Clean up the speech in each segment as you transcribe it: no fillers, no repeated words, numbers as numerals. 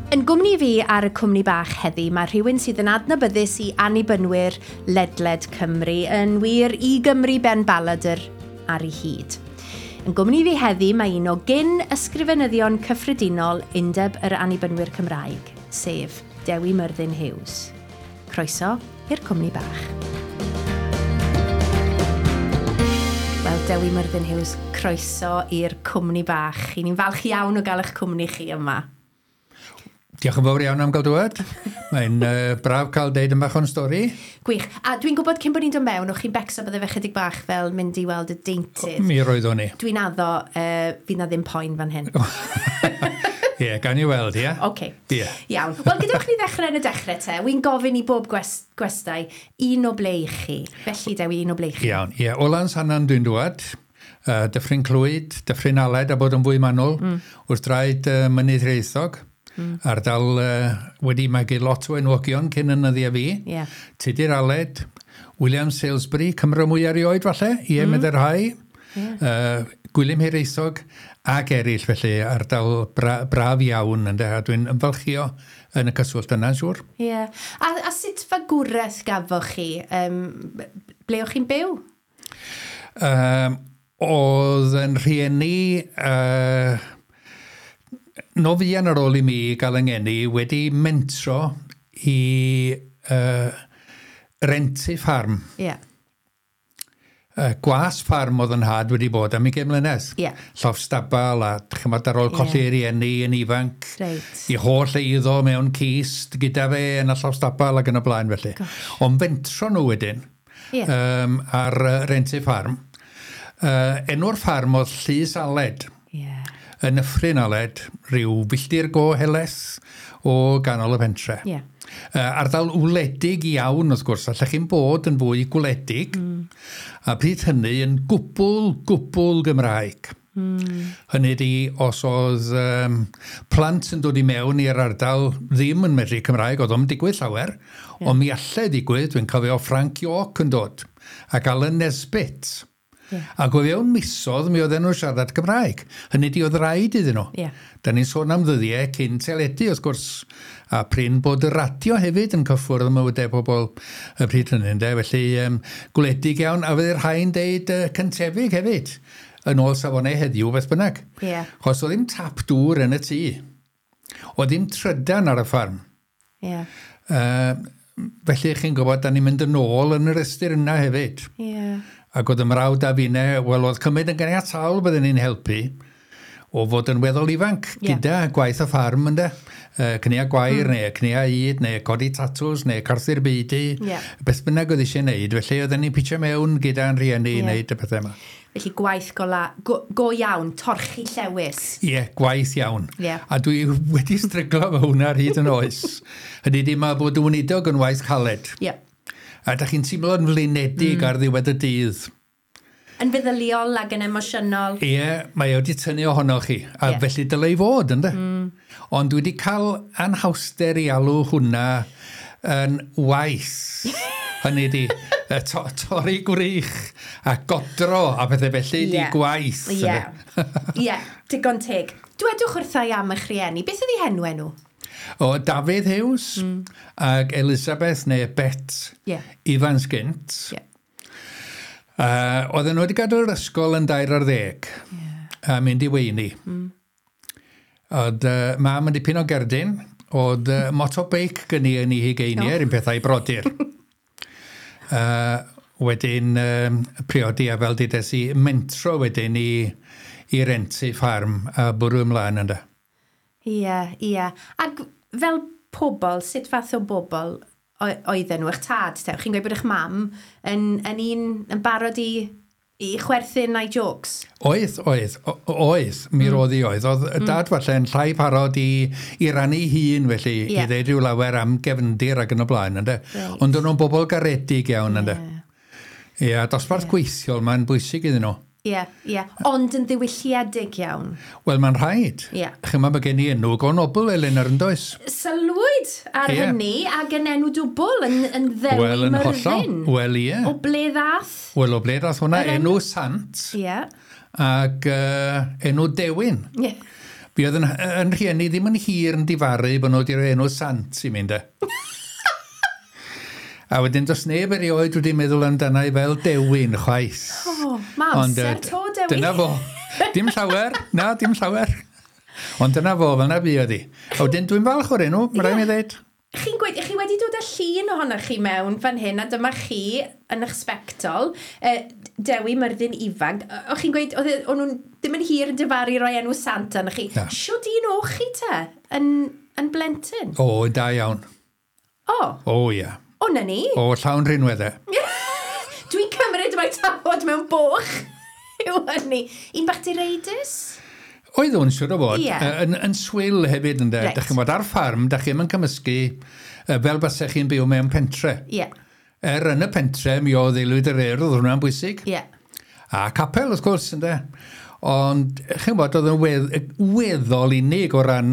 Yn gwmni fi ar y cwmni bach heddi, mae rhywun sydd yn adnabyddus i annibynwyr ledled Cymru, yn wir i Gymru ben baladr ar ei hyd. Yn gwmni fi heddi mae un o gyn ysgrifenyddion cyffredinol Undeb yr Annibynwyr Cymraeg, sef Dewi Myrddin Hughes. Croeso i'r cwmni bach. Wel, Dewi Myrddin Hughes, croeso i'r cwmni bach. I ni'n falch iawn o gael eich cwmni chi yma. Diolch yn fawr iawn am gael dŵad. Mae'n braf cael deud yn bach o'n stori. Gwych. A dwi'n gwybod cyn bod ni'n dod mewn, o'ch chi'n becso bydde fe chydig bach fel mynd i weld y deintydd. Mi roeddwn i. Dwi'n addo, fydd na ddim poen fan hyn. Ie, yeah, gan i weld, ie. Yeah? Oce. Okay. Yeah. Iawn. Wel, gadewch ni ddechrau yn y dechrau te. Wy'n gofyn i bob gwestai, un o ble i chi. Felly, Dewi, un o ble i chi. Iawn, ie. Yeah. O Lansannan dwi'n dŵad. Dyffryn Clwyd, Dyffryn Aled, a bod yn fwy manwl, wrth draed Mynydd Hiraethog. Ardal wedi magu lot o enwogion cyn yn nyddiau fi. Yeah. Tudur Aled, William Salesbury, Cymro mwy erioed falle, ie, mm. Meddai rhai. Yeah. Gwilym Hiraethog ac eraill, felly ardal braf iawn, ynde, a dwi'n ymfalchio yn y cyswllt yna, siŵr. Ie. Yeah. A sut fagwraeth gafoch chi? Ble o'ch chi'n byw? Oedd yn rhieni... No fuan ar ôl i mi gael yng ngeni wedi mentro i rentu ffarm. Yeah. Gwas ffarm oedd yn nhad wedi bod am 20 mlynedd. Yeah. Llofft stabal a chymod ar ôl colli yeah. rieni yn ifanc. Right. I holl eiddo mewn cist gyda fe yn y llofft stabal ac yn y blaen felly. Ond fentro nhw wedyn ar rentu ffarm. Enw'r ffarm oedd Llys Aled. Yeah. Yn Nyffryn Aled, rhyw filltir go helaeth o ganol y pentre. Yeah. Ardal wledig iawn, wrth gwrs, allech chi'n bod yn fwy gwledig, a pryd hynny yn gwbl Gymraeg. Hynny ydi, os oedd plant yn dod i mewn i'r ardal ddim yn medru Cymraeg, oedd o'm digwydd llawer, ond mi allai ddigwydd, dwi'n cofio Frank York yn dod, ac Alan Nesbitt. Yeah. Ac o fewn misoedd mi oedden nhw'n siarad Cymraeg. Hynny ydi oedd rhaid iddyn nhw. Yeah. Da ni'n sôn am ddyddiau cyn teledu, wrth gwrs, a prin bod y radio hefyd yn cyffwrdd ym mywydau pobl y pryd hynny. Ynde? Felly gwledig iawn, a fydde'r rhai'n deud cyntefig hefyd, yn ôl safonau heddiw beth bynnag. Yeah. Chos oedd ddim tap dŵr yn y tŷ. Oedd ddim trydan ar y ffarm. Yeah. Felly chi'n gwybod, da ni'n mynd yn ôl yn yr ystyr yna hefyd. Yeah. Ac oedd y mrawd a finne, wel, oedd cymryd yn ganiataol bydden ni'n helpu o fod yn weddol ifanc gyda gwaith y ffarm, ynde. Cnua gwair, neu cnua ŷd, neu codi tatws, neu carthu'r beudy. Yeah. Beth bynnag oedd eisiau wneud. Felly oedden ni'n pitio mewn gyda'n rhieni i wneud y pethau yma. Felly gwaith go iawn, torchi llewys. Ie, yeah, gwaith iawn. Yeah. A dwi wedi stryglo efo hwnna ar hyd yn oes. Hynny ydi, mae bod yn weinidog yn waith caled. Yeah. A da chi'n teimlo'n flinedig ar ddiwedd y dydd. Yn feddyliol ac yn emosiynol. Ie, mae o wedi tynnu ohonoch chi. A felly dylai fod, ynde? Ond dwi wedi cael anhawster i alw hwnna yn waith. Hynny ydi, torri gwrych a godro a pethau felly di gwaith. Ie, ie, digon teg. Dwedwch wrtha i am eich rhieni, beth ydi henw nhw? O Dafydd Hughes ac Elizabeth neu Bet Evans gynt. Yeah. Oedden nhw wedi gadael yr ysgol yn 13 a mynd i weini. Oedd mam yn dipyn o gerdyn, oedd motobeic gynni yn ei hugeiniau, yr un pethau brodyr. Wedyn priodi a fel dides i mentro wedyn i rentu ffarm a bwrw ymlaen ynddo. Ie, ie. Ac fel pobl, sut fath o bobl oedden nhw? Eich tad, te? Chi'n gweud bod eich mam yn un yn barod i chwerthin a'i jokes? Oedd, mi roedd i oedd. Oedd dad falle yn llai parod i rannu hun, felly, i ddeud rhyw lawer am gefndir ac yn y blaen, ynde. Right. Ond o'n nhw'n bobl garedig iawn, ynde. Ie, dosbarth gweithiol, mae'n bwysig iddyn nhw. Ie, ie. Ond yn ddiwylliedig iawn. Wel, mae'n rhaid. Ie. Chymod, mae gen i enw go nobl, Eleanor, yn does? Sylwyd ar hynny ac yn enw dwbl, yn Ddewi Wel, yn hollol. Myrddin. Wel, ie. O ble ddath? Wel, o ble ddath hwnna? Enw sant. Ie. Ac enw dewin. Ie. Fi oedd yn rhieni ddim yn hir yn difaru bod nhw wedi rhoi enw sant i mi, de. A wedyn does neb erioed wedi meddwl amdana i fel Dewin chwaith. O, ma amser to, Dewi. Dyna fo. Dim llawer, na, dim llawer. Ond dyna fo, fel na bu oedd hi. A wedyn dwi'n falch o'r enw, mae rhaid mi ddeud. Chi'n gweud, chi wedi dod â llun ohonoch chi mewn fan hyn, a dyma chi yn eich sbectol, Dewi Myrddin ifanc. O'ch chi'n gweud, o'n nhw'n ddim yn hir yn difaru roi enw sant arnoch chi. Na. Shwd un o'ch chi te, yn blentyn? O, da iawn. O. O, ia. O, na ni. O, llawn rhinweddau. Dwi'n cymryd mae tafod mewn boch yw hynny. Un bach direidus? Oedd o'n siŵr o fod. Ie. Yn swil hefyd, ynde. Reit. Dach chi'n bod ar ffarm, dach chi'm yn cymysgu fel basech chi'n byw mewn pentre. Ie. Er yn y pentre, mi oedd Aelwyd yr Urdd, oedd hwnna'n bwysig. Ie. A capel, wrth gwrs, ynde. Ond, chi'n bod, oedd yn weddol unig o ran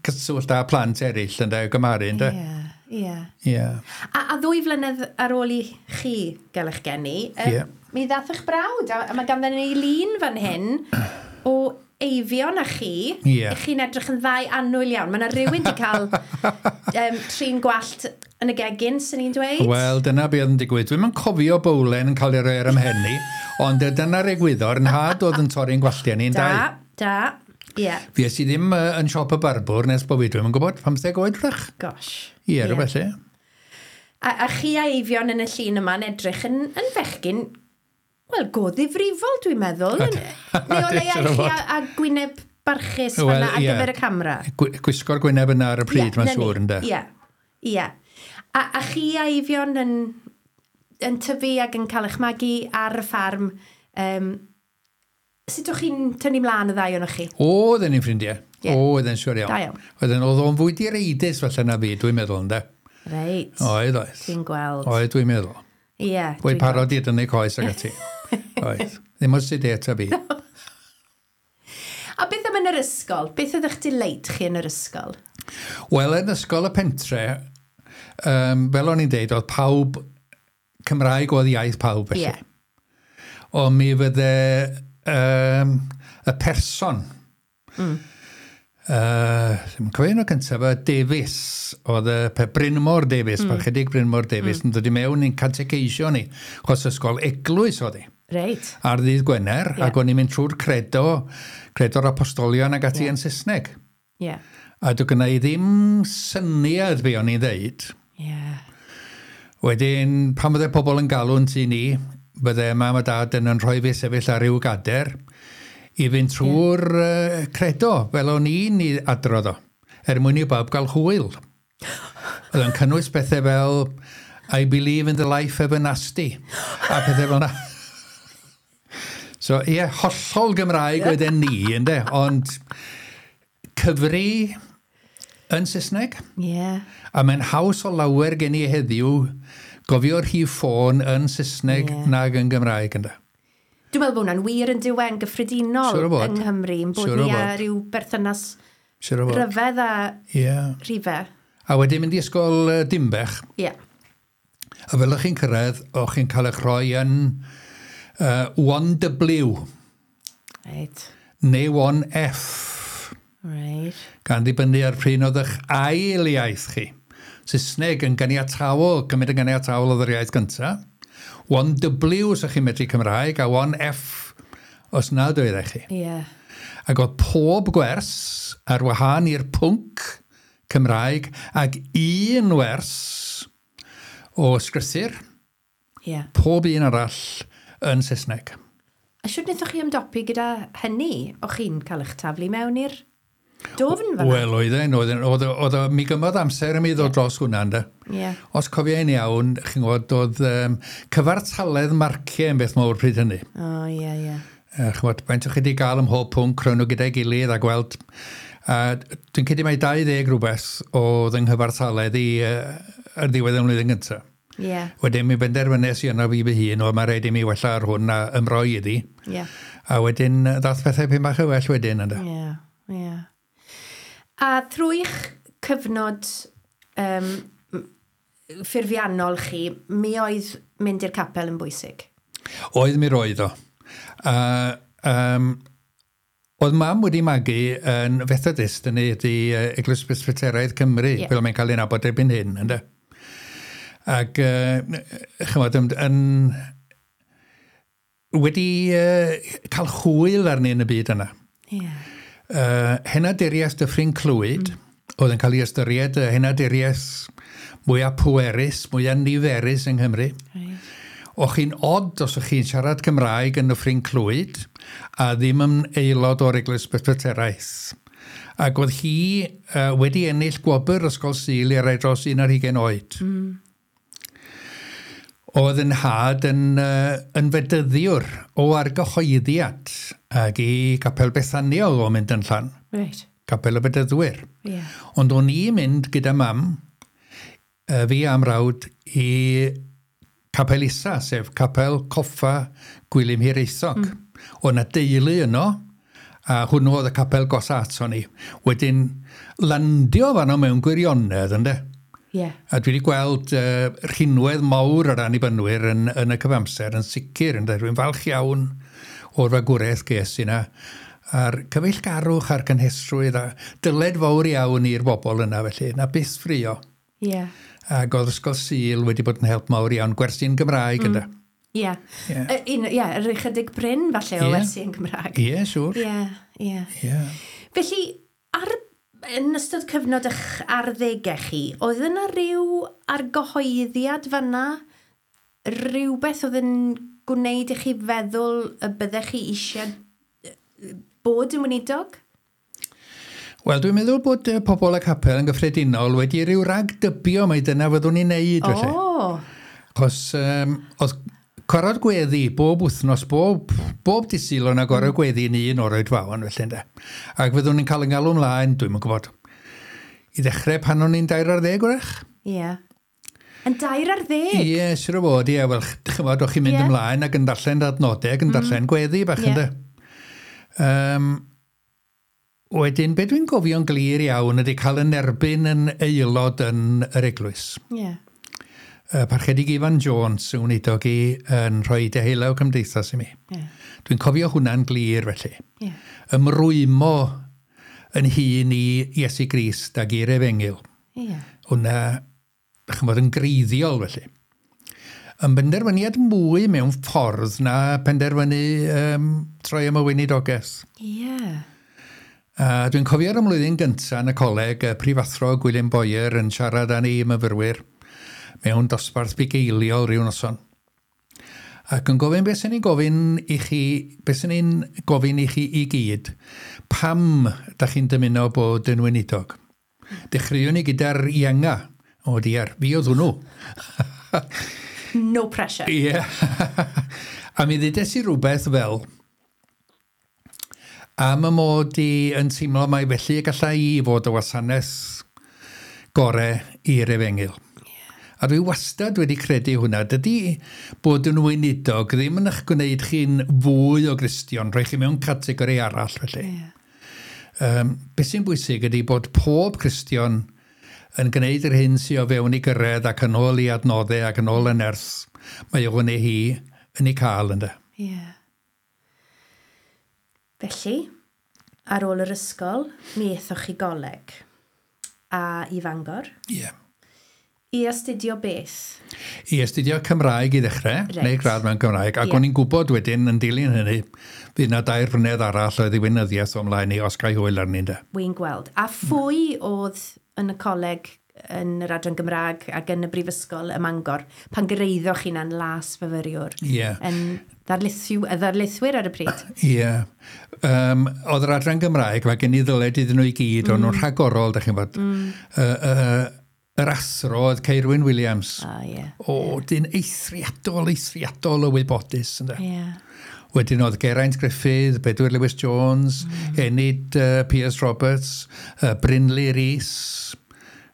cyswllt â plant eraill, ynde, o gymharu, ynde. Ie, ie. Ie. A 2 flynedd ar ôl i chi gael eich geni, Ie. mi ddath eich brawd, a mae ganddyn ni lun fan hyn o Eifion a chi. Ie. Chi'n edrych yn ddau annwyl iawn. Mae yna rhywun wedi cael trin gwallt yn y gegin, sy'n ni'n dweud. Wel, dyna be oedd yn digwydd. Dwi'm yn cofio bowlen yn cael ei roi ar ymhen i, ond dyna'r egwyddor. Nhad oedd yn torri'n gwalltiau ni'n Da, dau. da, ie. Fues i ddim yn siop y barbwr nes bod fi, dwi'm yn gwybod, 15 oed wrach. Gosh. Ie, rhywbeth lle. A chi a Eifion yn y llun yma'n edrych yn fechgyn, wel, go ddifrifol, dwi'n meddwl. Neu o leia Siŵr o chi fod. a gwyneb barchus Wel, fan'na ar ie. gyfer y camera. Gwisgo'r gwyneb yna ar y pryd, Ie, mae'n na ni. siŵr, ynde. Ie, ie. A chi a Eifion yn tyfu ac yn cael eich magu ar y ffarm, sut o'ch chi'n tynnu mlaen y ddau ohonoch chi? Oedden ni'n ffrindiau. Ie. Oedden, siŵr iawn. Da iawn. Oedden, oedd o'n fwy direidus falle na fi, dwi'n meddwl, ynde. Reit. Oedd, oedd. Dwi'n gweld. Oedd, dwi'n meddwl. Ie. Fwy dwi'n parod i dynnu coes ag ati. Oedd. Ddim o'r sydd eto fi. A beth am yn yr ysgol? Beth oedd eich delight chi yn yr ysgol? Wel, yn ysgol y pentre, fel o'n i'n deud, oedd pawb, Cymraeg oedd iaith pawb felly. Ie. Ond mi fydde y person, ddim yn cofio enw cyntaf, y Davies, oedd y Brynmor Davies, Parchedig Brynmor Davies, yn dod i mewn i'n catecheisio ni, chos ysgol eglwys oedd hi. Reit. Ar ddydd Gwener, Ie. ac o'n i'n mynd trwy'r credo'r apostolion ac ati yn Saesneg. Ie. A doedd gynna i ddim syniad be o'n i'n ddeud. Ie. Wedyn, pan fydde pobl yn galw'n tŷ ni, bydde mam a dad yn rhoi fi sefyll ar ryw gader i fynd trwy'r credo, fel o'n i'n i adrodd o, er mwyn i bawb gael hwyl. Oedd o'n cynnwys pethau fel I believe in the life everlasting, a pethau fel yna. So, ie, hollol Gymraeg oedden ni, ynde, ond cyfri yn Saesneg. Ie. A mae'n haws o lawer gen i heddiw gofio'r rhif ffôn yn Saesneg nag yn Gymraeg, ynde. Dwi'n meddwl bod hwnna'n wir yn diwen gyffredinol Siŵr o fod. yng Nghymru, yn bod Siŵr o ni â fod. rhyw berthynas Siŵr o fod. ryfedd a Ie. rhifau. A wedyn mynd i ysgol Dimbech, Ie. a fel o'ch chi'n cyrraedd, o'ch chi'n cael eich rhoi yn 1W Reit. neu 1F, Reit. gan ddibynnu ar pryn oedd eich ail iaith chi. Saesneg yn ganiataol, cymryd yn ganiataol oedd yr iaith gyntaf. 1W os o'ch chi'n medru Cymraeg, a 1F os nad oeddech chi. Ie. Ac oedd pob gwers ar wahân i'r pwnc Cymraeg ac un wers o sgrythur, Ie. pob un arall yn Saesneg. A shwt wnaethoch chi ymdopi gyda hynny? O'ch chi'n cael eich taflu mewn i'r dwfn fan'na? Wel, oedd o, mi gymodd amser i mi ddod dros hwnna, ynde. Ie. Os cofio i'n iawn, chi'n gwybod, oedd cyfartaledd marciau yn beth mawr pryd hynny. O, ie, ie. Chi'n gwybod, faint o'ch chi wedi gael ym mhob pwnc, rhoi nhw gyda'i gilydd a gweld. A dwi'n credu mai 20 rhywbeth oedd yng nghyfartaledd i ar ddiwedd y mlwyddyn gyntaf. Ie. Wedyn mi benderfynes i yno fi fy hun, o mae rhaid i mi wella ar hwn a ymroi iddi. Ie. A wedyn ddath pethau pyn bach yn well wedyn, ynde. Ie, ie. A trwy'ch cyfnod ffurfiannol chi, mi oedd mynd i'r capel yn bwysig? Oedd mi roedd o. A, Oedd mam wedi magu yn Fethodist, yn ydy Eglwys Presbyteraidd Cymru, fel mae'n cael ei nabod erbyn hyn, ynde? Ac, chymod, yn wedi cael hwyl arni yn y byd yna. Henaduriaeth Dyffryn Clwyd, oedd yn cael ei ystyried y henaduriaeth mwyaf pwerus, mwyaf niferus yng Nghymru. O'ch chi'n od os o'ch chi'n siarad Cymraeg yn Nyffryn Clwyd a ddim yn aelod o'r Eglwys Presbyteraidd. Ac oedd hi wedi ennill gwobr Ysgol Sul i rai dros 21 oed. Oedd yn nhad yn fedyddiwr o argyhoeddiad ac i Gapel Bethania oedd o'n mynd yn llan. Capel y Bedyddwyr. Ond o'n i'n mynd gyda mam, fi a'm mrawd, i Capel Isa, sef Capel Coffa Gwilym Hiraethog. Oedd 'na deulu yno, a hwnnw oedd y capel gosa ato ni. Wedyn landio fanno mewn gwirionedd, ynde? A dwi wedi gweld rhinwedd mawr yr Annibynwyr yn y cyfamser yn sicr, ynde? Dwi'n falch iawn o'r fagwraeth ges i 'na, a'r cyfeillgarwch a'r cynhesrwydd a dyled fawr iawn i'r bobl yna, felly, na byth ffrio. Ac oedd Ysgol Sul wedi bod yn help mawr iawn, gwersi'n Gymraeg, ynde? Un, ie, yr ychydig brin falle o wersi yn Gymraeg. Ie, siŵr. Ie, ie. Felly, yn ystod cyfnod eich arddegau chi, oedd yna rhyw argyhoeddiad fanna? Rhywbeth oedd yn gwneud i chi feddwl y byddech chi eisiau bod yn weinidog? Wel, dwi'n meddwl bod pobl y capel yn gyffredinol wedi rhyw ragdybio mai dyna fyddwn ni'n neud, felly. Achos oedd corod gweddi bob wythnos, bob dydd Sul o'na gorau gweddi yn un o'r oedfaon, felly, ynde. Ac fyddwn ni'n cael yn galw ymlaen, dwi'm yn gwybod, i ddechrau pan o'n i'n 13, wrach? Ie. Yn 13? Ie, siŵr o fod, ie. Wel, chymod, o'ch chi'n mynd ymlaen ac yn darllen adnodau ac yn darllen gweddi bach, ynde. Wedyn, be dwi'n gofio'n glir iawn ydy cael yn erbyn yn aelod yn yr eglwys. Parchedig Ifan Jones yn weinidog i yn rhoi deheulaw cymdeithas i mi. Dwi'n cofio hwnna'n glir felly. Ymrwymo yn hun i Iesu Grist ac i'r Efengyl. Hwnna, chymod, yn greiddiol felly. Yn benderfyniad mwy mewn ffordd na penderfynu troi am y weinidogaeth. A dwi'n cofio'r ymlwyddyn gyntaf yn y coleg, y prifathro Gwilym Boyer yn siarad â ni myfyrwyr mewn dosbarth bugeiliol rhyw noson. Ac yn gofyn beth sy'n ni'n gofyn i chi, beth sy'n ni'n gofyn i chi i gyd, pam da chi'n dymuno bod yn weinidog? Dechreuwn ni gyda'r ienga. O diar, fi oedd hwnnw. No pressure. Ie. A mi ddudes i rhywbeth fel, am y mod i yn teimlo mai felly y gallai i fod y wasanaeth gore i'r efengyl. A dwi wastad wedi credu hwnna. Dydy bod yn weinidog ddim yn eich gwneud chi'n fwy o Gristion, rhoi chi mewn categori arall felly. Beth sy'n bwysig ydy bod pob Cristion yn gwneud yr hyn sydd o fewn i gyrraedd ac yn ôl i adnoddau ac yn ôl y nerth mae o neu hi yn ei cael, ynde. Felly, ar ôl yr ysgol, mi aethoch chi goleg a i Fangor. I astudio beth? I astudio Cymraeg i ddechrau, neu gradd mewn Cymraeg, ac o'n i'n gwybod wedyn yn dilyn hynny, fydd na 2 flynedd arall oedd i weinyddiaeth o mlaen i os gai hwyl arni, ynde. Wy'n gweld. A phwy oedd yn y coleg, yn yr adran Gymraeg ac yn y brifysgol ym Mangor, pan gyraeddoch chi na'n las fyfyriwr? Yn ddarlithwyr ar y pryd? Ie. Oedd yr adran Gymraeg, mae gen i ddyled iddyn nhw i gyd, o'n nhw'n rhagorol, dach chi'n gwbod. Yr athro oedd Ceirwyn Williams. O, dyn eithriadol, eithriadol o wybodus, ynde. Wedyn oedd Geraint Gruffydd, Bedwyr Lewis Jones, Enid Piers Roberts, Brynley Rees.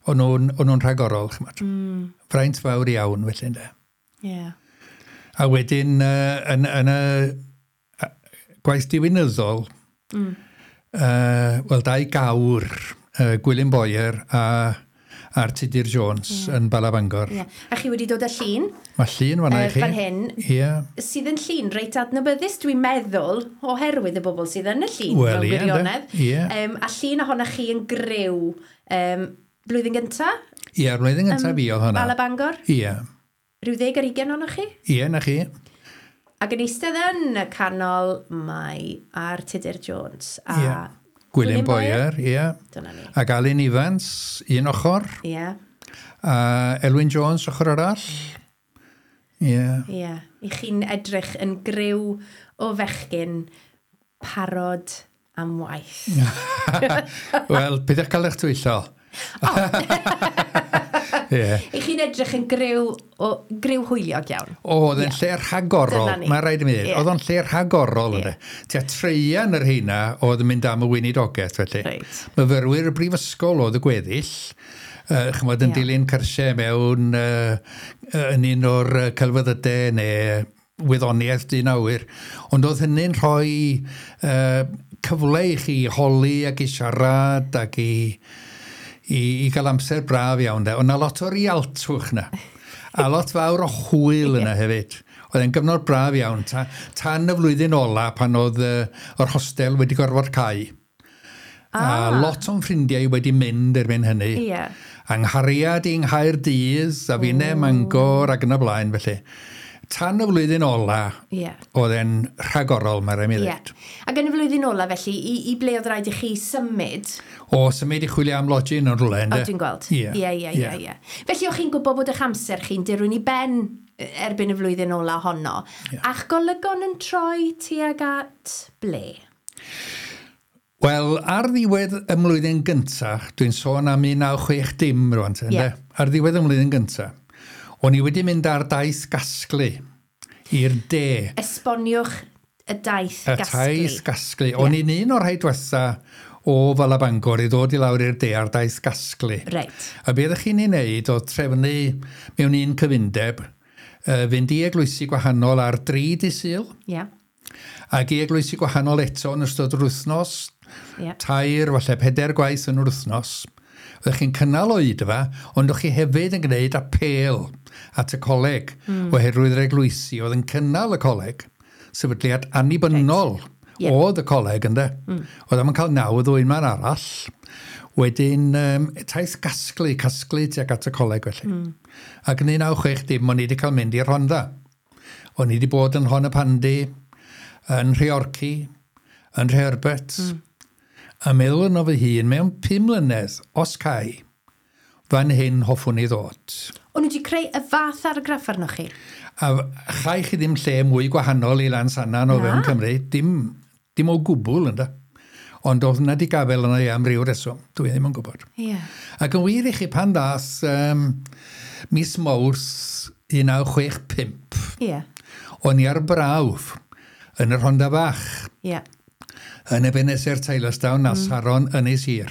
O'n nhw'n rhagorol, ch'mod. Fraint fawr iawn, felly, ynde. A wedyn, yn y gwaith diwinyddol, wel, 2 gawr, Gwilym Boyer a R Tudur Jones yn Bala Bangor. Yeah. A chi wedi dod â llun? Mae llun fanna i chi. Fan hyn. Ie. Sydd yn llun reit adnabyddus, dwi'n meddwl, oherwydd y bobl sydd yn y llun, Wel, mewn ie, ynde. gwirionedd. Ie. A llun ohonoch chi yn griw blwyddyn gynta? Ie, blwyddyn gyntaf fi oedd hwnna. Bala Bangor? Ie. Rhyw 20 ohonoch chi? Ie, na chi. Ac yn eistedd yn y canol mae R Tudur Jones a Ie. Gwilym Boyer, ie. Dyna ni. Ac Alun Evans, un ochr. Ie, A Elwyn Jones, ochr arall. Ie. ie. I chi'n edrych yn griw o fechgyn parod am waith. Wel, peidiwch cael eich twyllo. Ie. I chi'n edrych yn griw hwyliog iawn. O, oedd e'n lle rhagorol. Dyna ni. Mae rhaid i mi ddweud. Oedd o'n lle rhagorol, ynddo. Tua treian yr heina oedd yn mynd am y weinidogaeth, felly. Myfyrwyr y brifysgol oedd y gweddill. Chymod, yn dilyn cyrsiau mewn yn un o'r celfyddydau neu wyddoniaeth dyn awyr. Ond oedd hynny'n rhoi cyfle i chi holi ac i siarad ac i gael amser braf iawn. De. Ond na lot o rialtwch na. A lot fawr o hwyl yna hefyd. Oedd e'n gyfnod braf iawn. Tan y flwyddyn ola pan oedd yr hostel wedi gorfod cau. A lot o'n ffrindiau wedi mynd erbyn hynny. Anghariad i'n Nghaerdydd, a finne Mangor ac yn y blaen felly. Tan y flwyddyn ola, oedd e'n rhagorol, mae rhaid mi ddweud. Ac yn y flwyddyn ola felly, i ble oedd rhaid i chi symud? O, symud i chwilio am lodging yn rhywle, O, dwi'n gweld. Ie. Felly, o'ch chi'n gwybod bod eich amser chi'n dirwyn i ben erbyn y flwyddyn ola honno. A'ch golygon yn troi tuag at ble? Wel, ar ddiwedd y mlwyddyn gyntaf, dwi'n sôn am 1960 rwan, ynde? Ar ddiwedd y mlwyddyn gyntaf, o'n i wedi mynd ar daith gasglu i'r de. Esboniwch y daith Y gasglu. taith gasglu. O'n i'n un o'r rhai diwetha o Fala Bangor i ddod i lawr i'r de ar daith gasglu. A be ddech chi'n ei wneud oedd trefnu mewn un cyfundeb, fynd i eglwysi gwahanol ar 3 dydd Sul. Ac i eglwysi gwahanol eto yn ystod yr wythnos, 3, falle 4 gwaith yn yr wythnos. Oeddech chi'n cynnal oedfa, ond o'ch chi hefyd yn gwneud apêl at y coleg, oherwydd yr eglwysi oedd yn cynnal y coleg, sefydliad annibynnol oedd y coleg, ynde. Oedd am yn cael nawdd o un man arall. Wedyn, taith gasglu, casglu tuag at y coleg felly. Ac yn 1960, o'n i wedi cael mynd i'r Rhondda. O'n i wedi bod yn Nhonypandy, yn Nhreorci, yn Nhreherbert. A meddwl yno fy hun, mewn 5 mlynedd, os cai, fan hyn hoffwn i ddod. O'n nhw wedi creu y fath argraff arnoch chi? A chai chi ddim lle mwy gwahanol i Lansannan o fewn Cymru, dim o gwbl, ynde. Ond oedd yna di gafel yna i am ryw reswm, dwi ddim yn gwybod. Ac yn wir i chi pan ddath mis Mawrth 1965, o'n i ar brawf yn y Rhondda Fach. Yn Ebenezer Tylorstown a Saron Ynys Hir.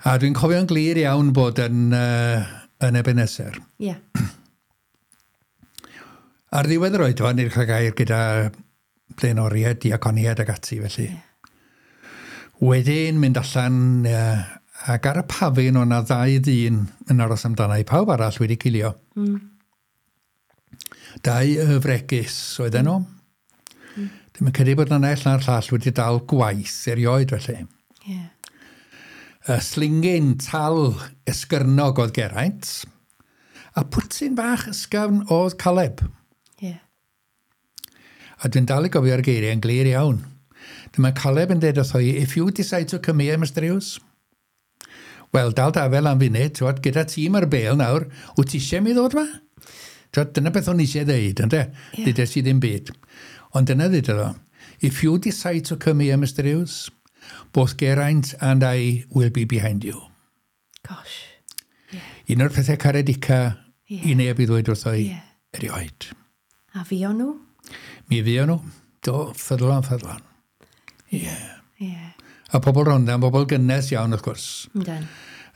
A dwi'n cofio'n glir iawn bod yn Ebenezer. Ar ddiwedd yr oedfa, ni'n cael gair gyda blaenoriaid, diaconiaid ac ati felly. Wedyn mynd allan ac ar y pafin o'na 2 ddyn yn aros amdana i, pawb arall wedi cilio. 2 fregus oedden nhw. Dwi'n credu bod yna naill na'r llall wedi dal gwaith erioed felly. Y slingin tal esgyrnog oedd Geraint, a pwtyn bach ysgafn oedd Caleb. A dwi'n dal i gofio'r geiriau yn glir iawn. Dyma Caleb yn dweud wrtho i, if you decide to come here, Mr Hughes, wel, dal dafel am funud, twod, gyda tîm ar bêl nawr, wyt ti eisiau mi ddod ma? Twod, dyna beth o'n eisiau ddeud, ynde? Ddudes i ddim byd. Ond dyna ddudodd o. If you decide to come here, Mr Hughes, both Geraint and I will be behind you. Gosh. Un o'r pethau caredica i neb i ddweud wrtho i erioed. A fuon nhw? Mi fuon nhw. Do, ffyddlon, ffyddlon. Ie. A pobl Rhondda, pobl gynnes iawn, wrth gwrs. Yndan.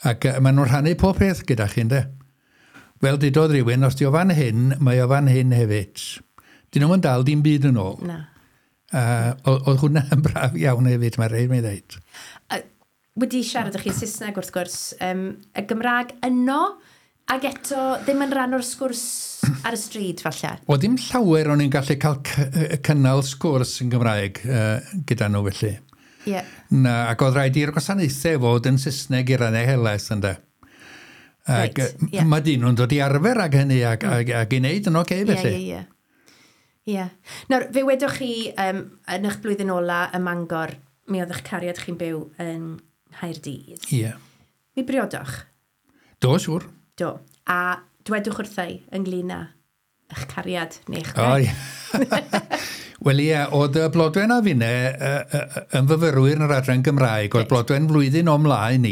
Ac maen nhw'n rhannu pob peth gyda chi, ynde? Fel dudodd rhywun, os di o fan hyn, mae o fan hyn hefyd. Dyn nhw'n dal dim byd yn ôl. Na. Oedd hwnna yn braf iawn hefyd, mae rhaid mi ddeud. wedi siarad â chi Saesneg wrth gwrs, y Gymraeg yno, ac eto ddim yn rhan o'r sgwrs ar y stryd falle? O, ddim llawer o'n i'n gallu cael cynnal sgwrs yn Gymraeg gyda nhw felly. Yeah. Na, ac oedd rhaid i'r gwasanaethau fod yn Saesneg i rannau helaeth ynddo. Ac Reit, ie. mae dyn nhw'n dod i arfer ag hynny ac i wneud yn oce felly. Ie, ie, ie. Ie. Nawr, fe wedoch chi yn eich blwyddyn ola ym Mangor, mi oedd eich cariad chi'n byw yn Nghaerdydd. Ie. Mi briodoch? Do, siŵr. Do. A dwedwch wrthai ynglyn â eich cariad neu eich O, gwraig. ie. Wel ie, oedd y Blodwen a finne yn fyfyrwyr yn yr adran Gymraeg, oedd Blodwen flwyddyn o mlaen ni,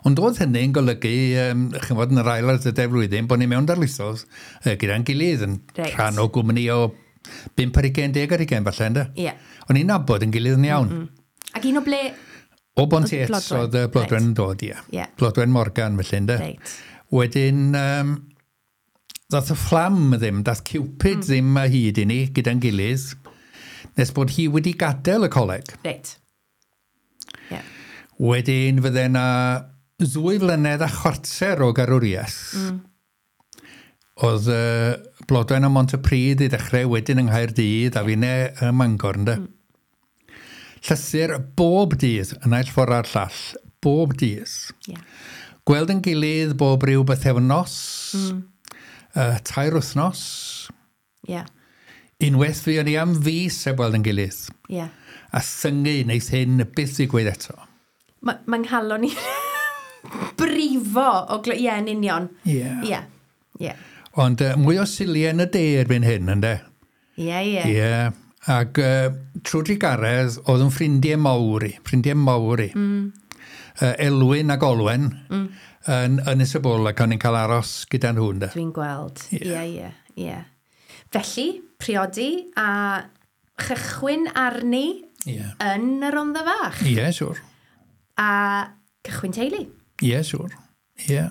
ond oedd hynny'n golygu, ch'mod, yn yr ail a'r drydedd flwyddyn, bod ni mewn darlithoedd gyda'n gilydd yn rhan o gwmni o 5 ar 20, 10 ar 20 falle, ynde? Ie. O'n i'n nabod yn gilydd yn iawn. Ac un o ble... O Bontiets Blodwen. oedd y Blodwen yn dod, ie. Ie. Blodwen Morgan, felly, ynde? Reit. Wedyn, dath y fflam ddim, dath Cupid ddim a hyd i ni gyda'n gilydd, nes bod hi wedi gadael y coleg. Reit. Ie. Wedyn fydde na 2 flynedd a chwarter o garwriaeth. Oedd Blodwen ym Mhontypridd i ddechrau, wedyn yng Nghaerdydd, a finne ym Mangor, ynde. Llythyr bob dydd, y naill ffordd a'r llall, bob dydd. Ie. Gweld yn gilydd bob ryw bythefnos, 3 wythnos. Ie. Unwaith fi o'n i am fis heb weld yn gilydd. Ie. A thyngu wneith hyn byth ddigwydd eto. Mae nghalon i brifo o Ie, yn union. Ie. Ie. Ie. Ond mwy o siliau yn y de erbyn hyn, ynde? Ie, ie. Ie. Ac trwy drugaredd, oedd yn ffrindiau mawr i. Ffrindiau mawr i. Elwyn ac Olwen yn Ynys-y-bwl, ac o'n i'n cael aros gyda nhw, ynde? Dwi'n gweld. Ie, ie, ie. Felly, priodi a chychwyn arni yn y Rhondda Fach. Ie, siŵr. A cychwyn teulu. Ie, siŵr. Ie.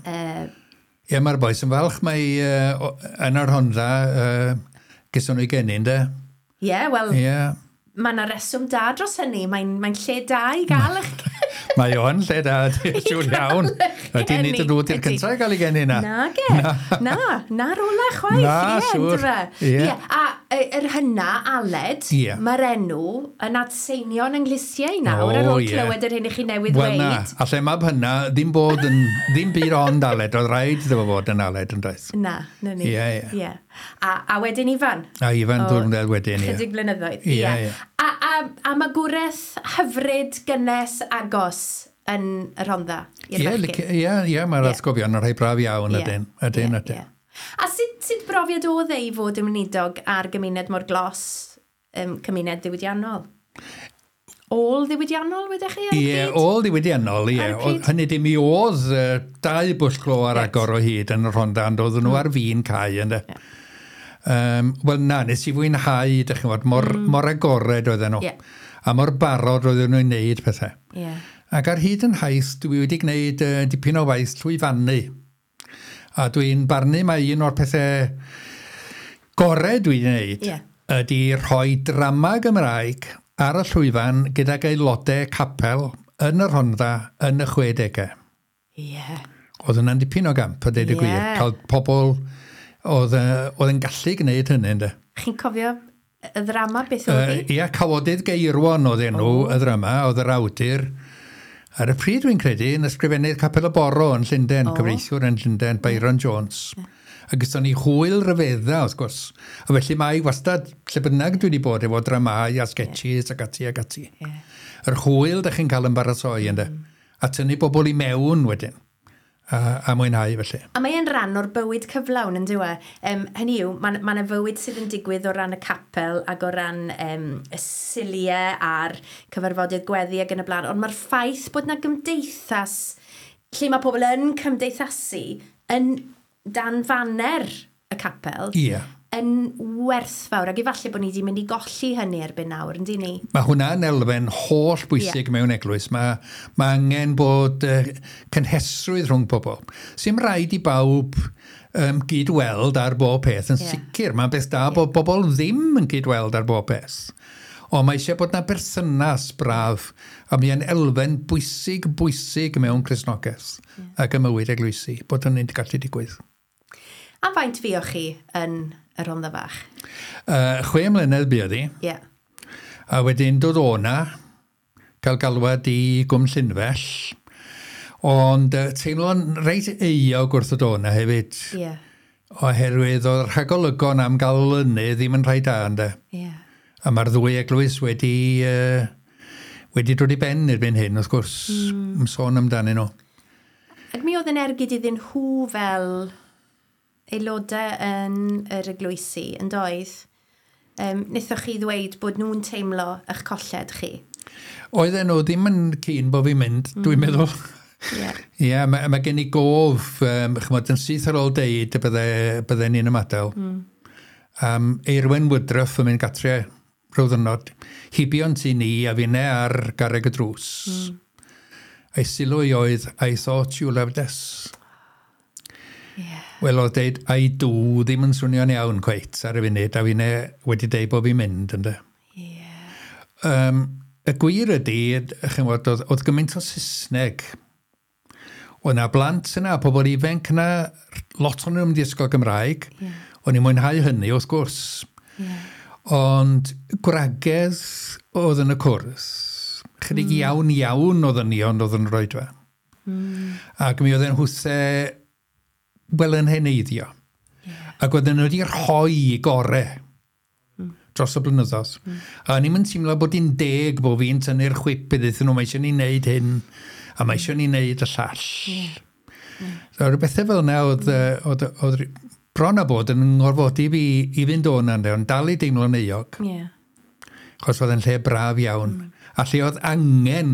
Ie, mae'r bois yn falch mae yn yr Rhondda gyson nhw'i geni, ynde? Ie, wel, Ie. mae yna reswm da dros hynny. Mae'n lle da i gael eich... Mae o'n lle da, siŵr iawn. Ydy nid y nhw di'r Ydi. cyntaf i gael ei geni na. Na ge, na, na'r ola chwaith. Na, ie, siŵr. yndyfe? Ie. Ie, a yr hynna, Aled, Ie. mae'r enw yn adseinio'n ynghlisiau nawr O, ar ôl ie. clywed yr hyn i chi newydd Wel na, weud. a lle mab hynna, ddim bod yn, ddim byd ond Aled, oedd rhaid iddo fo fod yn Aled yn doedd. Na, na ni. Ie, ie. Ie. A wedyn Ifan. A Ifan O, Dwrnedd wedyn, ie. Chydig blynyddoedd. Ie, ie. A magwraeth hyfryd, gynnes, agos yn y Rhondda. i'r Ie, bechgyn. ie, ie, mae'r Ie. atgofion yn rhai braf iawn, Ie. ydyn, ydyn, Ie, ydyn. ie. A sut brofiad oedd e i fod yn weinidog ar gymuned mor glos, cymuned ddiwydiannol? Ôl ddiwydiannol, wedech chi ar y Ie, pryd? ôl ddiwydiannol, ie. Ar y pryd? Hynny dim mi oedd 2 bwll glo ar agor o hyd yn y Rhondda, ond oedden nhw ar fin cau, ynddo. Wel na, nes i fwynhau, dych chi'n gwbod, mor agored oedden nhw. Ie. A mor barod oedden nhw'n wneud pethau. Ie. Ac ar hyd yn haith, dwi wedi gwneud dipyn o waith llwyfannu. A dwi'n barnu mai un o'r pethau gorau dwi wedi gwneud ydy rhoi drama Gymraeg ar y llwyfan gydag aelodau capel yn y Rhondda yn y 60au. Ie. Oedd hwnna'n dipyn o gamp, a deud y gwir. Cael pobl oedd yn gallu gwneud hynny, ynddo. Chi'n cofio y ddrama beth oedd hi? Ia, Cawodydd Geirwon oedd enw y ddrama, oedd yr awdur. Ar y pryd dwi'n credu, yn ysgrifennydd Capel y Boro yn Llundain, cyfreithiwr yn Llundain, Byron Jones. A gyda ni hwyl ryfedda, wrth gwrs. A felly mae wastad, lle bynnag dwi wedi bod efo dramau a sketches ac ati ac ati. Yr hwyl da chi'n cael yn baratoi, ynddo. A tynnu bobl i mewn wedyn. A mwynhau felly. A mae e'n rhan o'r bywyd cyflawn yn dyw e. Hynny yw, mae yna fywyd sydd yn digwydd o ran y capel ac o ran y siliau a'r cyfarfodydd gweddi ac yn y blaen. Ond mae'r ffaith bod yna gymdeithas lle mae pobl yn cymdeithasu yn dan faner y capel yn werthfawr. Ac efallai bod ni wedi mynd i golli hynny erbyn nawr, yn dyn ni? Mae hwnna'n elfen holl bwysig mewn eglwys. Mae angen bod cynhesrwydd rhwng pobl. Sy'm rhaid i bawb gyd-weld ar bob peth yn sicr. Mae'n beth da bod bobl ddim yn gyd-weld ar bob peth. Ond mae eisiau bod na berthynas braf, a mae'n elfen bwysig, bwysig mewn Cristnogaeth ac ym mywyd eglwysi, bod hynny'n gallu digwydd. A faint fuoch chi yn y Rhondda Fach? 6 mlynedd buodd hi. A wedyn dod o 'na, cael galwad i Gwm Llynfell, ond teimlo'n reit euog wrth ddod o 'na hefyd. Oherwydd oedd rhagolygon am gael olynu ddim yn rhai da, ynde. A mae'r ddwy eglwys wedi dod i ben erbyn hyn, wrth gwrs, sôn amdanyn nhw. Ac mi oedd yn ergyd iddyn nhw fel aelodau yn yr eglwysi, yn doedd? Wnaethoch chi ddweud bod nhw'n teimlo eich colled chi? Oedden nhw ddim yn keen bod fi'n mynd, dwi'n meddwl. Ie, mae gen i gof, chymod, yn syth ar ôl deud y bydde ni'n ymadael. Eirwen Woodruff yn mynd gatre rhyw ddwrnod, hibio'n tŷ ni a finne ar garreg y drws. A'i sylw i oedd, "I thought you loved us." Wel, oedd deud "I do" ddim yn swnio'n iawn cweit ar y funud, a finne wedi deud bod fi'n mynd, ynde. Y gwir ydy, chymod, oedd gymaint o Saesneg. Oedd na blant yna, pobl ifanc yna, lot o'n nhw'n mynd i ysgol Gymraeg. O'n i'n mwynhau hynny, wrth gwrs. Ond gwragedd oedd yn y cwrs. Chydig iawn iawn oedd yn ond oedd yn yr oedfa. Ac mi oedd yn hwse, wel, yn heneiddio. Ac oedden nhw wedi rhoi gore dros y blynyddoedd. A o'n i'n teimlo bod hi'n deg bod fi'n tynnu'r chwip iddyn nhw, mae eisiau ni wneud hyn, a mae eisiau ni wneud y llall. So, rhyw bethau fel yna oedd bron a bod yn ngorfodi fi i fynd o yna, ond dal i deimlo'n euog. Chos oedd yn lle braf iawn. A lle oedd angen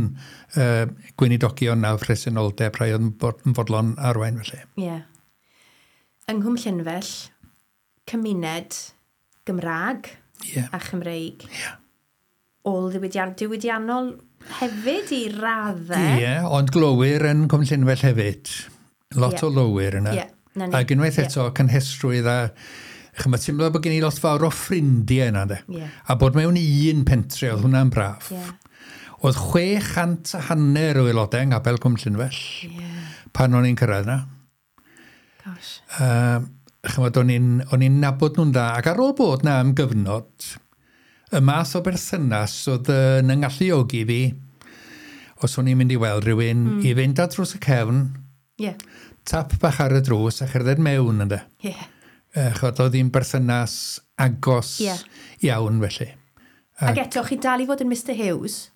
gweinidogion a phresenoldeb, rhai oedd yn fodlon arwain felly. Ie. Yeah. Yng Nghwm Llynfell, cymuned Gymraeg a Chymreig. Ôl diwydiannol hefyd i raddau. Ie, yeah, ond glowyr yn Cwm Llynfell hefyd. Lot o lowyr yna. Yeah, na ni. Ac unwaith eto, cynhesrwydd a chymod, teimlo bod gen i lot fawr o ffrindiau yna, de. A bod mewn un pentre, oedd hwnna'n braf. Oedd 650 o aelodau yng Nghapel Cwm Llynfell pan o'n i'n cyrraedd yna. Gosh. Chymod, o'n i'n nabod nhw'n dda. Ac ar ôl bod na am gyfnod, y math o berthynas oedd yn ngalluogi fi, os o'n i'n mynd i weld rhywun, i fynd ar drws y cefn, tap bach ar y drws a cherdded mewn, ynde. Chod, oedd hi'n berthynas agos iawn felly. Ac eto, chi dal i fod yn Mr Hughes?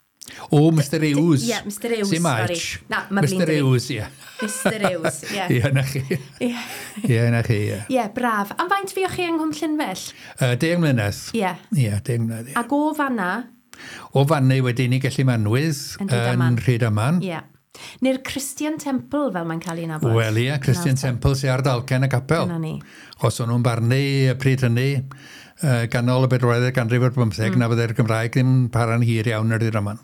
O, Mr Hughes. Ie, Mr Hughes, Sim sorry. H. Na, ma' Mr flin 'da fi. Hughes, ie. Mr Hughes, ie. Ie, na chi. Ie, na chi, ie. Ie, braf. Am faint fuoch chi yng Nghwm Llynfell? 10 mlynedd. Ie, 10 mlynedd, ie. Ac o fanna? O fanna wedyn i Gelli Manwydd Yn Rhydaman. yn Rhydaman. Ie. Neu'r Christian Temple, fel mae'n cael ei nabod. Wel, ie, Christian Temple sy'n ar dalcen y capel. Dyna ni. Os o'n nhw'n barnu y pryd hynny, ganol y bedwaredd ganrif ar bymtheg, na fydde'r Gymraeg ddim para'n hir iawn ar Rydaman.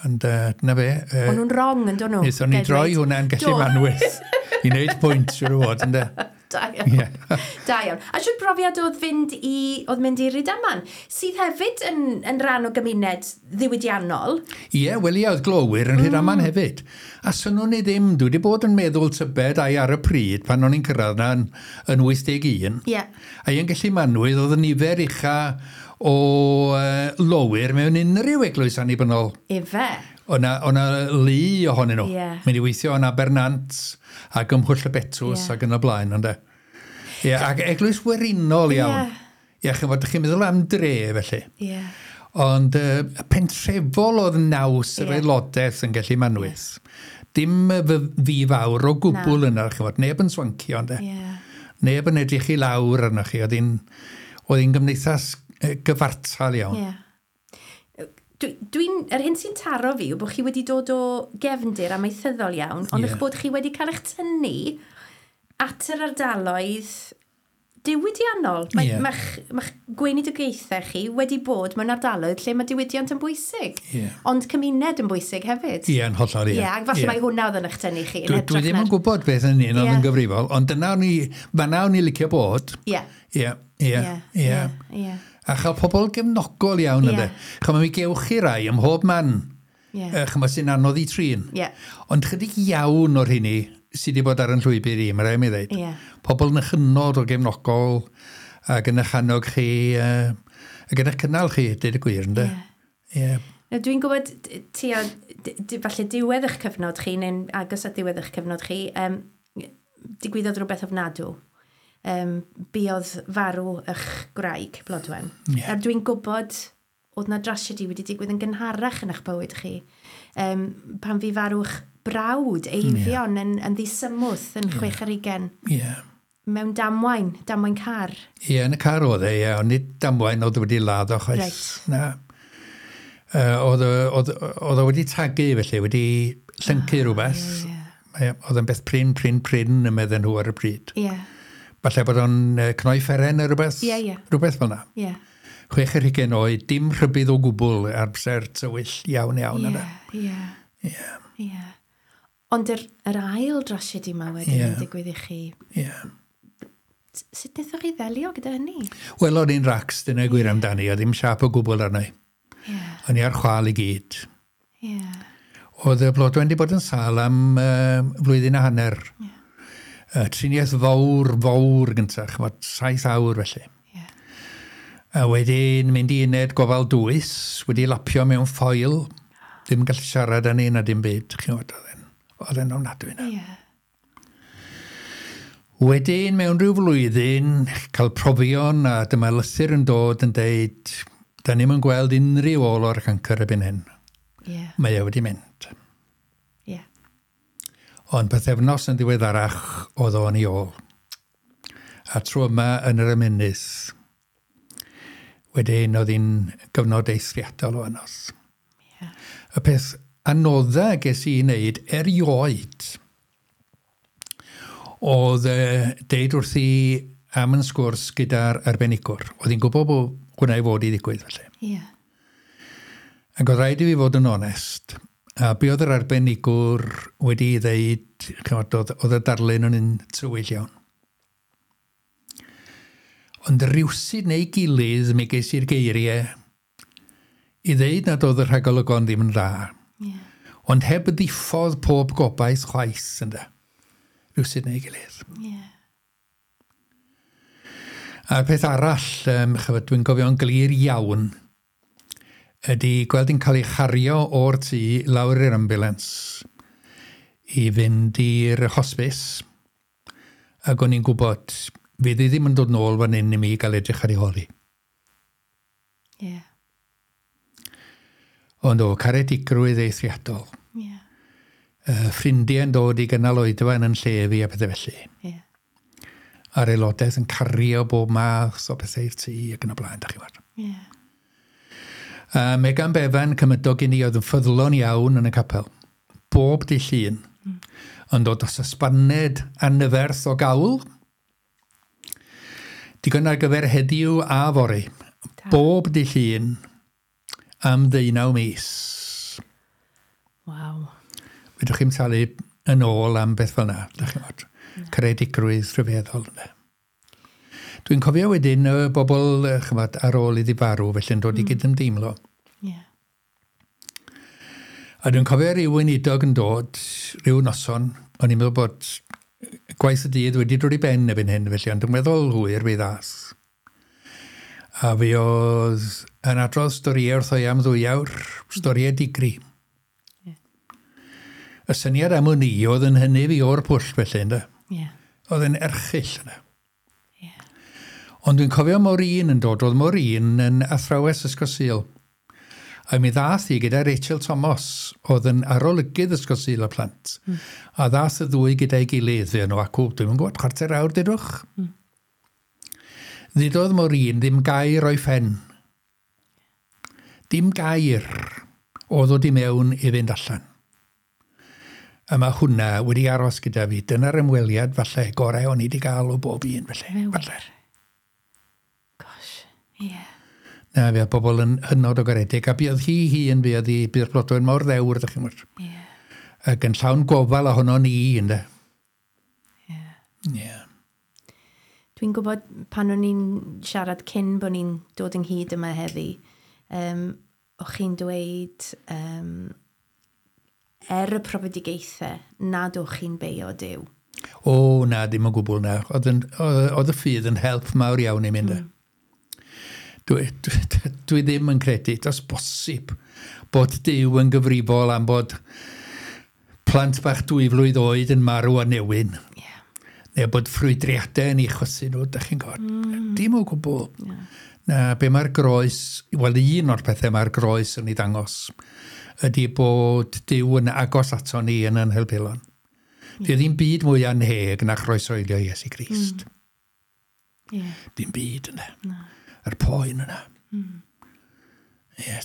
Ond dyna fe. O'n nhw'n wrong, yn dod nhw? Wnaethon ni droi hwnna'n Gelli Manwydd i wneud pwynt, siwr o fod, ynde. Da iawn. Da iawn. A siwr brofiad oedd mynd i Rydaman, sydd hefyd yn rhan o gymuned ddiwydiannol. Ie, wel ie, oedd glowyr yn Rhydaman hefyd. A synwn ni ddim, dwi wedi bod yn meddwl tybed ai ar y pryd pan o'n i'n cyrraedd na yn 81. A un Gelli Manwydd oedd y nifer ucha o lowyr mewn unrhyw eglwys annibynnol. Ife. O'na lu ohonyn nhw. Mynd i weithio yn Abernant ac ym Mhwll y Betws ac yn y blaen, ynde. Ie, ac eglwys werinol iawn. Ie, chymod, chi'n meddwl am dre, felly. Ond pentrefol oedd naws yr aelodaeth yn Gelli Manwydd. Dim fi fawr o gwbl yna, chymod, neb yn swancio, ynde. Neb yn edrych i lawr arnoch chi. Oedd hi'n gymdeithas gyfartal iawn. Yr hyn sy'n taro fi yw bod chi wedi dod o gefndir amaethyddol iawn, ond eich bod chi wedi cael eich tynnu at yr ardaloedd diwydiannol. Mae ma gweinidogaethau chi wedi bod mewn ardaloedd lle mae diwydiant yn bwysig. Ond cymuned yn bwysig hefyd. Ie, yn hollol, ie. Ie, ac falle mai hwnna oedd yn eich tynnu chi. Dwi ddim yn gwybod beth yn un oedd yn gyfrifol, ond dyna o'n i, fanna o'n i licio bod. Ie, ie, ie. A chael pobl gefnogol iawn ynddo. Chymod, mi gewch chi rai ym mhob man. Chymod, sy'n anodd i trin. Ond chydig iawn o'r hynny sydd wedi bod ar yn llwybr i, mae rhaid mi ddeud. Pobl yn hynod o gefnogol ac yn eich annog chi, ac yn eich cynnal chi, dweud y gwir, ynddo? Ie. Yeah. Dwi'n gwybod ti a, falle diwedd eich cyfnod chi, neu'n agos at diwedd eich cyfnod chi, digwyddodd rhywbeth ofnadw. Buodd farw eich gwraig, Blodwen. A dwi'n gwybod oedd na drasiedi wedi digwydd yn gynharach yn eich bywyd chi. Pan fi farw eich brawd, Eifion, yn ddisymwth yn 26. Mewn damwain car. Ie, yn y car oedd e, ie, ond nid damwain oedd wedi ladd o chwaith. Right. Na. Oedd o wedi tagu felly, wedi llyncu rhywbeth. Oedd yn beth prin yn meddyn nhw ar y pryd. Falle bod o'n cnoi fferen neu rhywbeth. Rhywbeth fel yna. 26 oed, dim rhybudd o gwbl ar amser tywyll iawn yna. Ie. Ond yr ail drasiedi yma wedyn yn digwydd i chi. Sut wnaethoch chi ddelio gyda hynny? Wel, o'n i'n racs, dyna gwir amdani, oedd ddim siâp o gwbl arna i. O'n i ar chwâl i gyd. Oedd y Blodwen wedi bod yn sâl am flwyddyn a hanner. Triniaeth fawr gyntaf, chymod, 7 awr felly. A wedyn mynd i uned gofal dwys, wedi lapio mewn ffoil, ddim yn gallu siarad â ni na dim byd, chymod, oedd e'n ofnadwy yna. Wedyn, mewn rhyw flwyddyn, cael profion a dyma lythyr yn dod yn deud, da ni'm yn gweld unrhyw ôl o'r cancr erbyn hyn. Mae e wedi mynd. Ond pythefnos yn ddiweddarach oedd o'n ei ôl. A tro yma yn yr ymennydd. Wedyn oedd hi'n gyfnod eithriadol o anodd. Y peth anodda ges i wneud erioed oedd deud wrthi am yn sgwrs gyda'r arbenigwr. Oedd hi'n gwybod bod hwnna i fod i ddigwydd felly. Ac oedd rhaid i fi fod yn onest. A be oedd yr arbenigwr wedi ddeud, chymod, oedd y darlun yn un tywyll iawn. Ond rywsut neu gilydd mi ges i'r geiriau i ddeud nad oedd y rhagolygon ddim yn dda. Ond heb ddiffodd pob gobaith chwaith ynde. Rywsut neu gilydd. A'r peth arall, chymod, dwi'n gofio'n glir iawn, ydy gweld hi'n cael ei chario o'r tŷ lawr i'r ambulance i fynd i'r hospice, ac o'n i'n gwybod fydd hi ddim yn dod nôl fan hyn i mi gael edrych ar ei hôl hi. Ond o, caredigrwydd eithriadol. Ffrindiau yn dod i gynnal oedfa yn lle fi a pethau felly. A'r aelodaeth yn cario bob math o bethau i'r tŷ ac yn y blaen, da chi weld. Megan Bevan, cymydog i ni, oedd yn ffyddlon iawn yn y capel. Bob dydd Llun. Yn dod dros y sbaned anferth o gawl. Digon ar gyfer heddiw a fory. Bob dydd Llun am 19 mis. Waw. Fedrwch chi'm talu yn ôl am beth fel yna, da chi'n gwybod. Caredigrwydd rhyfeddol. Dwi'n cofio wedyn y bobl, chymod, ar ôl iddi farw, felly'n dod i gydymdeimlo. A dwi'n cofio rhyw weinidog yn dod, rhyw noson, o'n i'n meddwl bod gwaith y dydd wedi dod i ben erbyn hyn, felly, ond dwi'n meddwl hwyr fi ddath. A fi oedd yn adrodd storïau wrtho i am 2 awr, storïau digri. Y syniad am wn i oedd yn hynny fi o'r pwll felly, ynddo? Oedd yn erchyll yna. Ond dwi'n cofio Maureen yn dod, oedd Maureen yn athrawes Ysgol Sul. A mi ddath hi gyda Rachel Thomas, oedd yn arolygydd Ysgol Sul y plant. A ddath y ddwy gyda'i gilydd, fe nhw acw, dwi'm yn gwybod, 25 awr, dudwch. Ddudodd Maureen ddim gair o'i phen. Dim gair o ddod i mewn i fynd allan. A mae hwnna wedi aros gyda fi. Dyna'r ymweliad falle gorau o'n i wedi gael o bob un felly. Falle. Gosh, ie. Yeah. Na, fe oedd bobl yn hynod o garedig. A buodd hi hun, buodd hi, buodd Blodwen mor ddewr, ydych chi'n gwybod. Yeah. Ac yn llawn gofal ohono ni, ynde. Ie. Ie. Dwi'n gwybod pan o'n i'n siarad cyn bod ni'n dod ynghyd yma heddi, o'ch chi'n dweud er y profedigaethau nad o'ch chi'n beio Duw. O, na, dim o gwbl na. Oedd y ffydd yn help mawr iawn i mynd. Dwi ddim yn credu, does bosib, bod Duw yn gyfrifol am bod plant bach 2 flwydd oed yn marw a newyn. Yeah. Neu bod ffrwydriadau yn ei chosi nhw, da chi'n gwybod. Dim o gwbl. Yeah. Na, be mae'r groes, wel un o'r pethau mae'r groes yn ei ddangos, ydy bod Duw yn agos ato ni yn ein helbulon. Yeah. Ddim byd mwy anheg na chroeshoelio Iesu Grist. Yeah. Dim byd yna. No. Yr poen yna. Ie,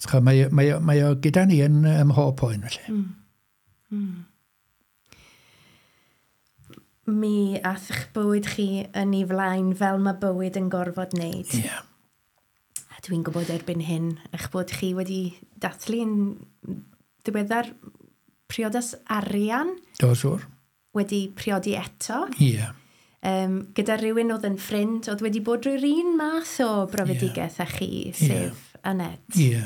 mae o gyda ni yn ymhob poen felly. Mi ath eich bywyd chi yn ei flaen fel mae bywyd yn gorfod wneud. Ie. Yeah. A dwi'n gwybod erbyn hyn eich bod chi wedi dathlu'n ddiweddar priodas arian. Do, siŵr. Wedi priodi eto. Ie. Yeah. Gyda rhywun oedd yn ffrind, oedd wedi bod drwy'r un math o brofedigaeth â chi, sef Annette. Ie.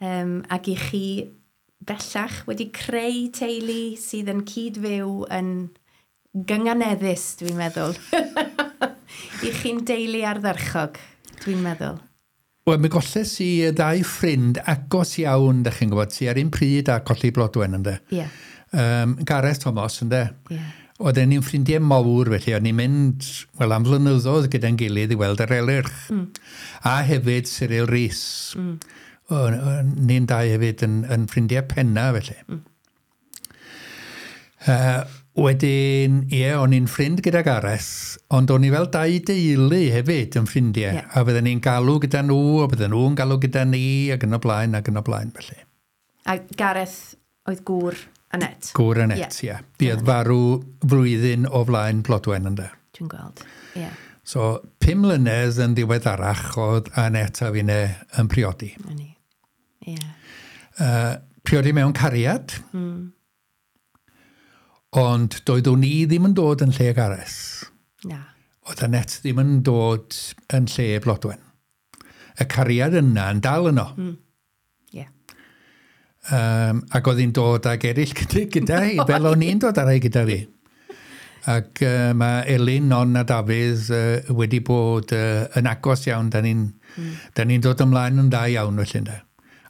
Yeah. Ac i chi bellach wedi creu teulu sydd yn cyd-fyw yn gynganeddus, dwi'n meddwl. I chi'n deulu ardderchog, dwi'n meddwl. Wel, mi golles i ddau ffrind agos iawn, da chi'n gwybod, sy ar un pryd a colli Blodwen, ynde. Ie. Yeah. Gareth Thomas, ynde. Ie. Yeah. Oedden ni'n ffrindiau mawr, felly, o'n ni'n mynd, wel, am flynyddoedd gyda'n gilydd i weld yr Elyrch. A hefyd Cyril Rees. Ni'n dau hefyd yn ffrindiau penna, felly. Wedyn, ie, o'n i'n ffrind gyda Gareth, ond o'n i fel dau deulu hefyd yn ffrindiau. Yeah. A fydden ni'n galw gyda nhw, a bydden nhw'n galw gyda ni, ac yn y blaen, ac yn y blaen, felly. A Gareth oedd gŵr Annette. Gŵr Annette, ie. Yeah. Buodd farw flwyddyn o flaen Blodwen, ynde. Dwi'n gweld, ie. Yeah. So, 5 mlynedd yn ddiweddarach oedd Annette a finne yn priodi. Ie. Yeah. Priodi mewn cariad. Ond doeddwn i ddim yn dod yn lle Gareth. Na. Oedd Annette ddim yn dod yn lle Blodwen. Y cariad yna yn dal yno. Yeah. Ac oedd hi'n dod ag eraill gyda hi, fel o'n i'n dod ar ei gyda fi. Ac mae Elin, Non a Dafydd wedi bod yn agos iawn. Da ni'n dod ymlaen yn dda iawn felly. Ynde.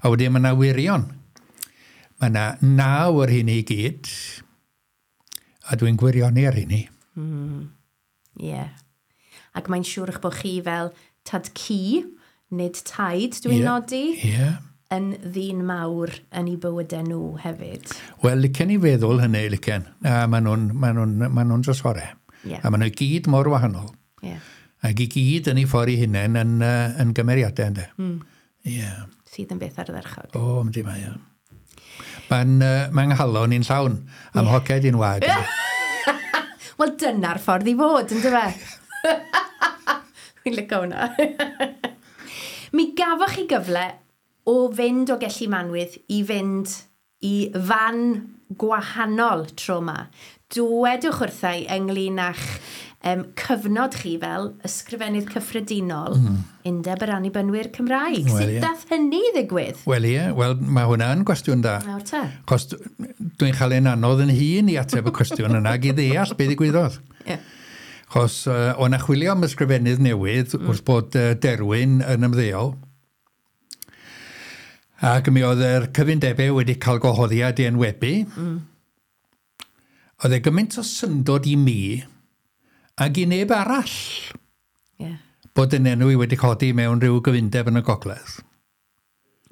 A wedyn mae yna wirion. Mae yna 9 ar hyn i gyd. A dwi'n gwirioni ar hynny. Ie. Yeah. Ac mae'n siŵr eich bod chi fel tad ci, nid taid, dwi'n nodi. Ie. Yeah. Yn ddyn mawr yn ei bywydau nhw hefyd. Wel, licen i feddwl hynny, licen. A maen nhw'n drysorau. Yeah. A maen nhw gyd mor wahanol. Yeah. Ac i gyd yn ei ffordd eu hunain yn gymeriadau, ynddo. Yeah. Sydd yn beth ardderchog. O, yndi mae, ie. Mae'n nghalon i'n llawn am hoced i'n wag. Wel, dyna'r ffordd i fod, ynddo fe? Fi'n licio hwnna. Mi gafoch chi gyfle o fynd o Gelli Manwydd i fynd i fan gwahanol tro yma. Dwedwch wrthai ynglyn â'ch cyfnod chi fel ysgrifennydd cyffredinol Undeb yr Annibynwyr Cymraeg. Well, Sut yeah. dath hynny ddigwydd? Wel ie, wel mae hwnna yn gwestiwn da. Nawr te. Chos dwi'n cael ein anodd yn hun i ateb y cwestiwn yna ac i ddeall beth ddigwyddodd. Yeah. Chos o'n chwilio am ysgrifennydd newydd wrth bod Derwyn yn ymddeol. Ac mi oedd yr cyfundebau wedi cael gwahoddiad i enwebu. Oedd e gymaint o syndod i mi ac i neb arall bod yn enw i wedi codi mewn rhyw gyfundeb yn y gogledd.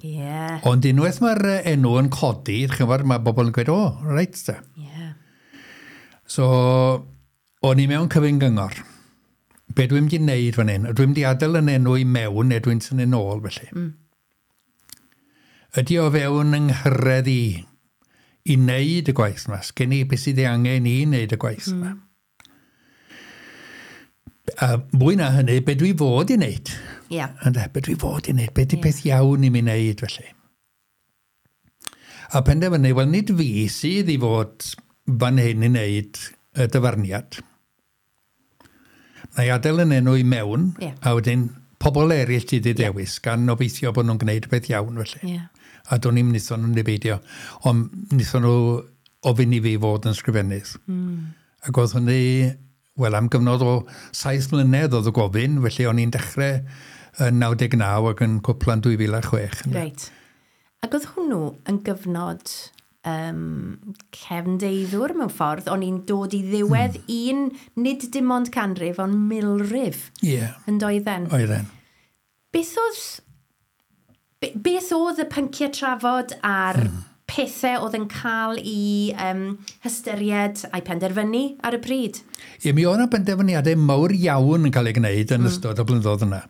Yeah. Ond unwaith mae'r enw yn codi, chi'n gwybod, mae bobl yn gweud, o, reit te. Yeah. So, o'n i mewn cyfun gyngor. Be dwi'n mynd i wneud fan hyn? Dwi'n mynd i adael yn enw i mewn neu dwi'n tynnu nôl felly. Ydy o fewn yng nghyrraedd i wneud y gwaith yma? Sgen i beth sydd ei angen i wneud y gwaith yma? A mwy na hynny, be dwi fod i wneud? Yeah. Ynde, be dwi fod i wneud? Be di peth iawn i mi wneud felly? A penderfynu, wel nid fi sydd i fod fan hyn i wneud y dyfarniad. Na i adael yn enw i mewn, a wedyn pobl eraill ti wedi dewis, gan obeithio bod nhw'n gwneud beth iawn felly. A do'n i'm wnaethon nhw'n beidio. Ond wnaethon nhw ofyn i fi fod yn sgrifennydd. Ac oedd hynny, wel, am gyfnod o 7 mlynedd oedd y gofyn, felly o'n i'n dechrau yn 99 ac yn cwpla'n 2006. Reit. Ac oedd hwnnw yn gyfnod cefndeiddwr mewn ffordd, o'n i'n dod i ddiwedd un, nid dim ond canrif, ond milrif. Ie. Yeah. Yn doedden. Oedden. Beth oedd y pynciau trafod a'r pethau oedd yn cael i hystyried a'i penderfynu ar y pryd? Ie, mi oedd yna benderfyniadau mawr iawn yn cael ei gwneud yn ystod y blynyddoedd yna.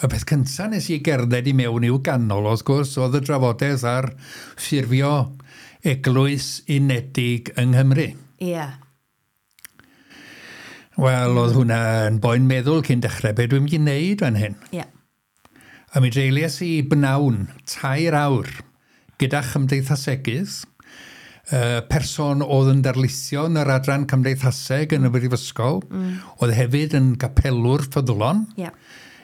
Y peth cyntaf nes i gerdded i mewn i'w ganol, wrth gwrs, oedd y drafodaeth ar ffurfio eglwys unedig yng Nghymru. Ie. Wel, oedd hwnna yn boen meddwl cyn dechrau, be dwi'n mynd i wneud fan hyn. Ie. A mi dreuliais i bnawn 3 awr gyda chymdeithasegydd, person oedd yn darlithio yn yr adran cymdeithaseg yn y brifysgol, oedd hefyd yn gapelwr ffyddlon,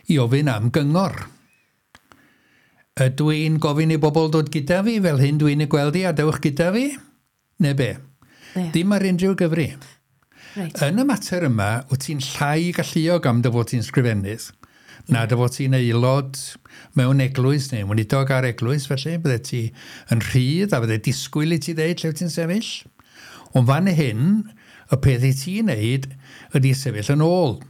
i ofyn am gyngor. Ydw i'n gofyn i bobl dod gyda fi fel hyn dwi'n ei gweld i a dewch gyda fi? Neu be? Dim ar unrhyw gyfri. Right. Yn y mater yma, wyt ti'n llai galluog am dy fod ti'n sgrifennydd, na dy fod ti'n aelod mewn eglwys neu weinidog ar eglwys, felly bydde ti yn rhydd a bydde disgwyl i ti ddeud lle wyt ti'n sefyll. Ond fan hyn, y peth i ti'n neud ydy sefyll yn ôl.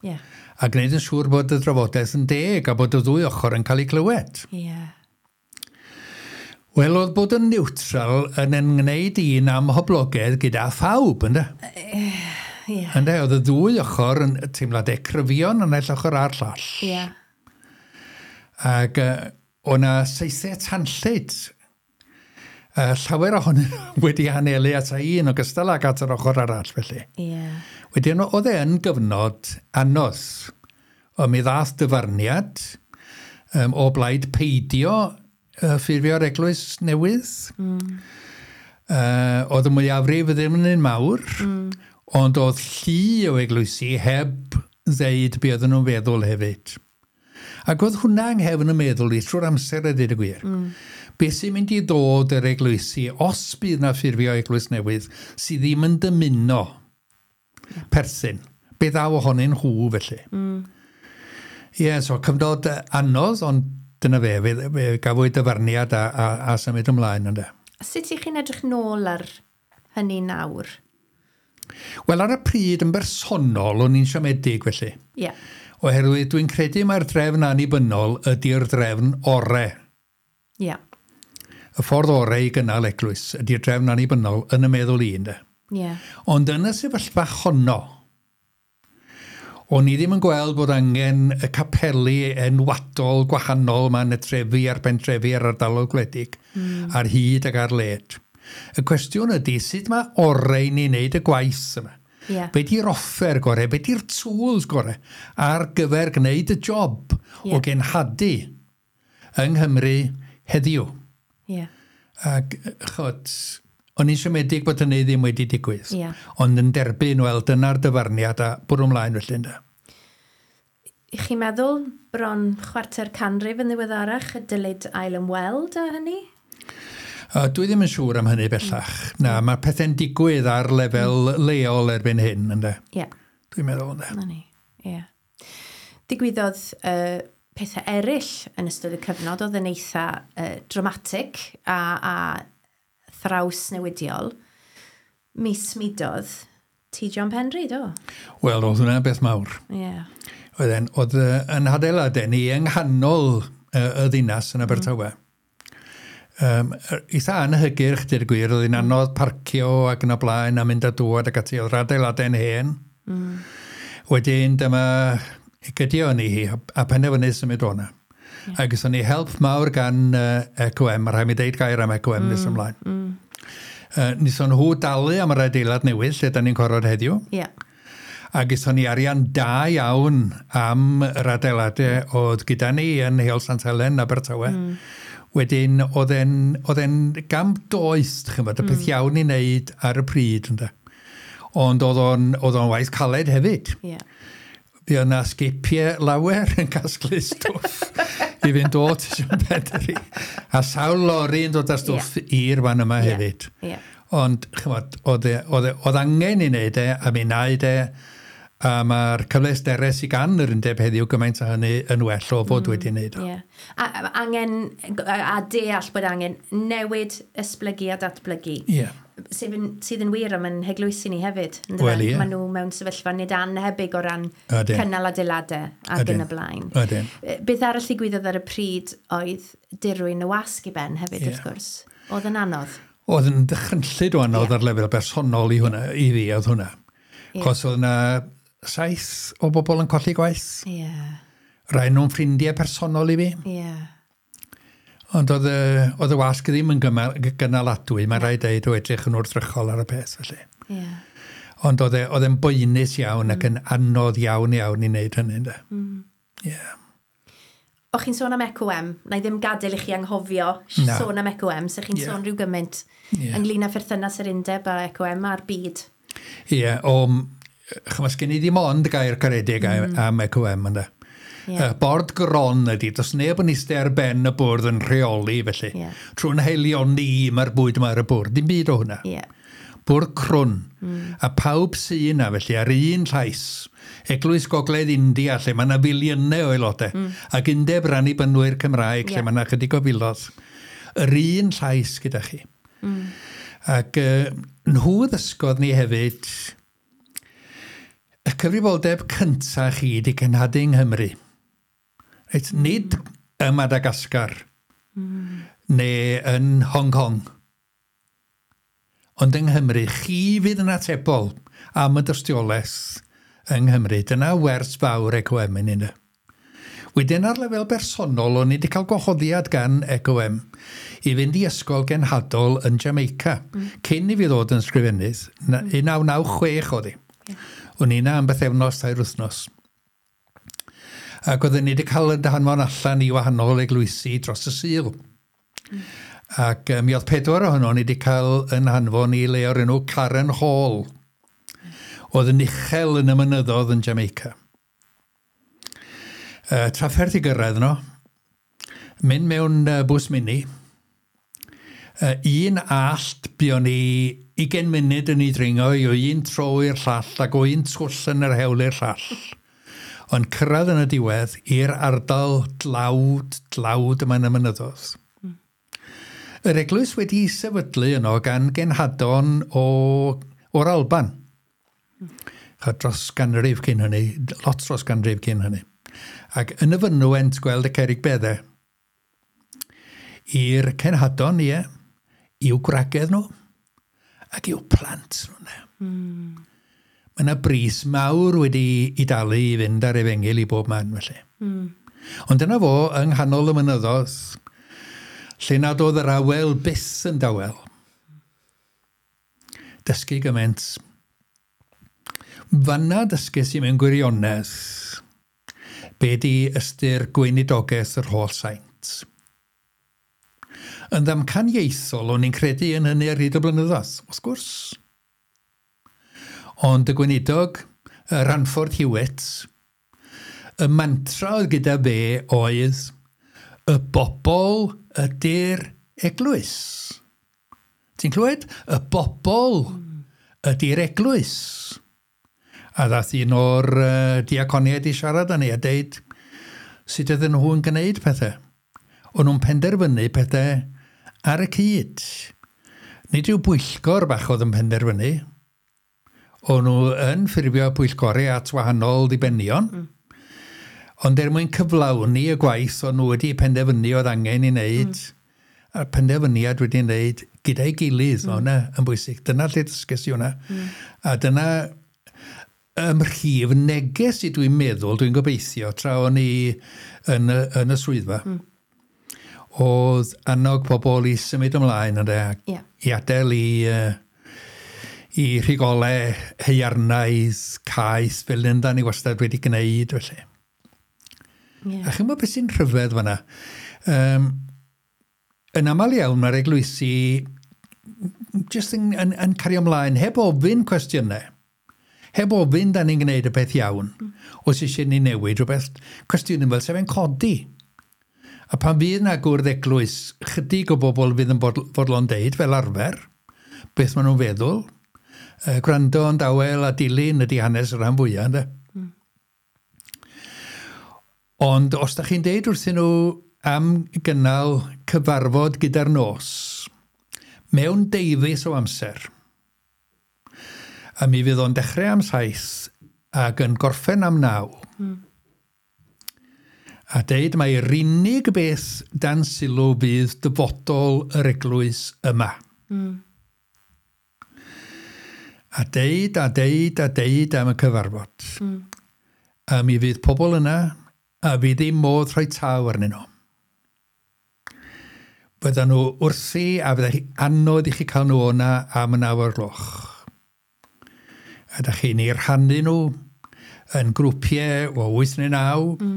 Yeah. A gwneud yn siŵr bod y drafodaeth yn deg a bod y ddwy ochr yn cael ei clywed. Yeah. Wel, oedd bod yn neutral yn ymwneud un amhoblogaidd gyda phawb, ynde? Yeah. Ynde, oedd y ddwy ochr yn teimladau cryfion yn naill ochr a'r llall. Yeah. Ac o'na saethau tanllyd. Llawer ohonyn nhw wedi anelu at un ogystal ag at yr ochr arall, felly. Yeah. Wedyn, oedd e yn gyfnod anodd. Ond mi ddath dyfarniad o blaid peidio ffurfio'r eglwys newydd. Oedd y mwyafrif ddim yn un mawr, ond oedd llu o eglwysi heb ddeud be oedden nhw'n feddwl hefyd. Ac oedd hwnna yng nghefn y meddwl i trwy'r amser a dweud y gwir. Be sy'n mynd i ddod yr eglwysi, os bydd na ffurfio eglwys newydd, sydd ddim yn dymuno perthyn. Be ddaw ohonyn nhw felly. Ie, so cyfnod anodd, ond dyna fe, fe gafwyd dyfarniad a symud ymlaen ynde. Sut ych chi'n edrych nôl ar hynny nawr? Wel, ar y pryd yn bersonol, o'n i'n siomedig felly. Yeah. Oherwydd dwi'n credu mai'r drefn annibynnol ydy'r drefn ore. Yeah. Y ffordd ore i gynnal eglwys ydy'r drefn annibynnol yn y meddwl i, ynde. Yeah. Ond yn y sefyllfa honno, o'n i ddim yn gweld bod angen y capeli enwadol gwahanol yma yn y trefi a'r pentrefi a'r ardaloedd gwledig, ar hyd ac ar led. Y cwestiwn ydy, sut mae orau ni wneud y gwaith yma? Yeah. Be di'r offer gorau, be di'r tools gorau ar gyfer gwneud y job o genhadu yng Nghymru heddiw? Yeah. Ac, chod, o'n i'n siomedig bod hynny ddim wedi digwydd. Yeah. Ond yn derbyn, wel, dyna'r dyfarniad a bwrw ymlaen felly, ynde. I chi'n meddwl bron 250 yn ddiweddarach y dylid ail ymweld â hynny? Dwi ddim yn siŵr am hynny bellach. Na, mae pethau'n digwydd ar lefel leol erbyn hyn, ynde. Ie. Dwi'n meddwl, ynde. Na ni, ie. Digwyddodd pethau eraill yn ystod y cyfnod oedd yn eitha dramatic a thrawsnewidiol. Mi smudodd T. John Penry, do? Wel, oedd hwnna'n beth mawr. Ie. Oedd yn hadeiladau ni yng nghanol y ddinas yn Abertawe. Eitha anhygyrch, deud y gwir, oedd hi'n anodd parcio ac yn y blaen a mynd a dŵad ac ati, oedd yr adeiladau'n hen. Wedyn dyma gydio ni hi a penderfynu symud o'na. Yeah. Ac gaethon ni help mawr gan ECOM, mae rhaid mi deud gair am ECOM nes ymlaen. Wnaethon nhw dalu am yr adeilad newydd lle da ni'n corfod heddiw. Yeah. A gaethon ni arian da iawn am yr adeiladau oedd gyda ni yn Heol Sant Helen, Abertawe. Wedyn, oedd e'n gam doeth, ch'mod, y peth iawn i wneud ar y pryd, ynde. Ond oedd o'n waith caled hefyd. Yeah. Fi yna sgipiau lawer yn casglu stwff i fynd o Tisiwn Pedri. A sawl lori yn dod â stwff i'r fan yma hefyd. Ond, chymod, oedd angen i wneud e, a mi wnaed e, a mae'r cyfleusterau sydd gan yr undeb heddiw gymaint o hynny yn well o fod wedi wneud o. Yeah. A angen, a deall bod angen newid, esblygu a datblygu. Yeah. Sydd yn wir am yn heglwysi ni hefyd. Wel, ie. Maen nhw mewn sefyllfa nid annhebyg o ran cynnal adeiladau ac yn y blaen. Ydyn. Beth arall ddigwyddodd ar y pryd oedd dirwyn y wasg i ben hefyd, wrth gwrs. Oedd yn anodd. Oedd yn ddychrynllyd o anodd ar lefel bersonol i hwnna, i fi oedd hwnna. Cos oedd yna 7 o bobl yn colli gwaith. Rai nhw'n ffrindiau personol i fi. Ond oedd y wasg ddim yn gynaladwy, mae rhaid deud o edrych yn wrthrychol ar y peth, felly. Ond oedd e'n boenus iawn ac yn anodd iawn iawn i wneud hynny, ynde. O'ch chi'n sôn am ECOM, na i ddim gadael i chi anghofio sôn am ECOM, so chi'n sôn rhyw gymaint ynglyn â pherthynas yr undeb a ECOM a'r byd. Ie, chymod, sgen i ddim ond gair caredig am ECOM, ynde. Bord gron ydy, does neb yn eistedd ar ben y bwrdd yn rheoli, felly. Trwy'n haelioni mae'r bwyd yma ar y bwrdd, dim byd o hwnna. Bwrdd crwn. A pawb sy'n yna, felly, ar un llais. Eglwys Gogledd India, lle mae yna filiynau o aelodau. Ac Undeb Annibynwyr Cymraeg, lle mae yna chydig o filoedd. Yr un llais gyda chi. Ac nhw ddysgodd ni hefyd y cyfrifoldeb cyntaf chi di cenhadu yng Nghymru. Reit, nid ym Madagascar neu yn Hong Kong. Ond yng Nghymru, chi fydd yn atebol am y dystiolaeth yng Nghymru. Dyna wers fawr ECOM yn hynny. Wedyn ar lefel bersonol, o'n i wedi cael gwahoddiad gan ECOM i fynd i ysgol genhadol yn Jamaica, cyn i fi ddod yn sgrifennydd, 1996 oedd hi. O'n i yna am bythefnos, 3 wythnos. Ac oedden ni wedi cael yn hanfon allan i wahanol eglwysi dros y Sul. Ac mi oedd 4 ohono ni wedi cael yn hanfon i le o'r enw Karen Hall. Oedd yn uchel yn y mynyddoedd yn Jamaica. Trafferth i gyrraedd no. Mynd mewn bws mini. Un allt buon ni 20 munud yn ei dringo i o un tro i'r llall ac o un twll yn yr hewl i'r llall. Ond cyrraedd yn y diwedd i'r ardal dlawd yma yn y mynyddoedd. Yr eglwys wedi sefydlu yno gan genhadon o'r Alban. Dros ganrif cyn hynny, lot dros ganrif cyn hynny. Ac yn y fynwent gweld y cerrig beddau. I'r cenhadon, ie, i'w gwragedd nhw ac i'w plant nhw. Mae yna bris mawr wedi i dalu i fynd ar efengyl i bob man, felly. Ond dyna fo, yng nghanol y mynyddoedd, lle nad oedd yr awel byth yn dawel. Dysgu gymaint. Fanna dysgu sy'n mewn gwirionedd, be di ystyr gweinidogaeth yr holl saint. Yn ddamcaniaethol, o'n i'n credu yn hynny ar hyd y blynyddoedd, wrth gwrs. Ond y gweinidog, Ranford Hewitt, y mantra oedd gyda fe oedd y bobl ydy'r eglwys. Ti'n clywed? Y bobl ydy'r eglwys. A ddath un o'r diaconiaid i siarad â ni a deud sut ydyn nhw'n gwneud pethau. O'n nhw'n penderfynu pethau ar y cyd. Nid yw bwyllgor bach oedd yn penderfynu. O'n nhw yn ffurfio pwyllgorau at wahanol ddibenion. Ond er mwyn cyflawni y gwaith o'n nhw wedi penderfynu oedd angen i wneud, a'r penderfyniad wedi wneud gyda'i gilydd, mm. Hwnna yn bwysig. Dyna lle dysges i hwnna. A dyna ymrhif neges i dwi'n meddwl, dwi'n gobeithio, tra o'n i yn y swyddfa, oedd annog pobl i symud ymlaen ynde, yeah. I adael i rhigolau heiarnaidd, caeth, fel ynda ni wastad wedi gwneud, felly. Yeah. A chi'n gwybod beth sy'n rhyfedd fan'na? Yn aml iawn mae'r eglwysi jyst yn cario ymlaen heb ofyn cwestiynau, Heb ofyn da ni'n gwneud y peth iawn, os eisiau ni newid rhywbeth, cwestiwn yn fel sef yn codi. A pan fydd na gwrdd eglwys, chydig o bobl fydd yn fodlon deud, fel arfer, beth maen nhw'n feddwl. Gwrando yn dawel a dilyn ydy hanes y rhan fwyaf, ynddo? Ond os da chi'n deud wrthyn nhw am gynnal cyfarfod gyda'r nos, mewn deufis o amser, a mi fydd o'n dechrau am 7 ac yn gorffen am 9. A deud mai'r unig beth dan sylw fydd dyfodol yr eglwys yma. A deud, a deud, a deud am y cyfarfod. A mi fydd pobl yna, a fydd ddim modd rhoi taw arnyn nhw. Fyddan nhw wrthi, a fydda chi anodd i chi cael nhw o'na am y 9 o'r gloch. A da chi'n ei rhannu nhw yn grwpiau o 8 neu 9.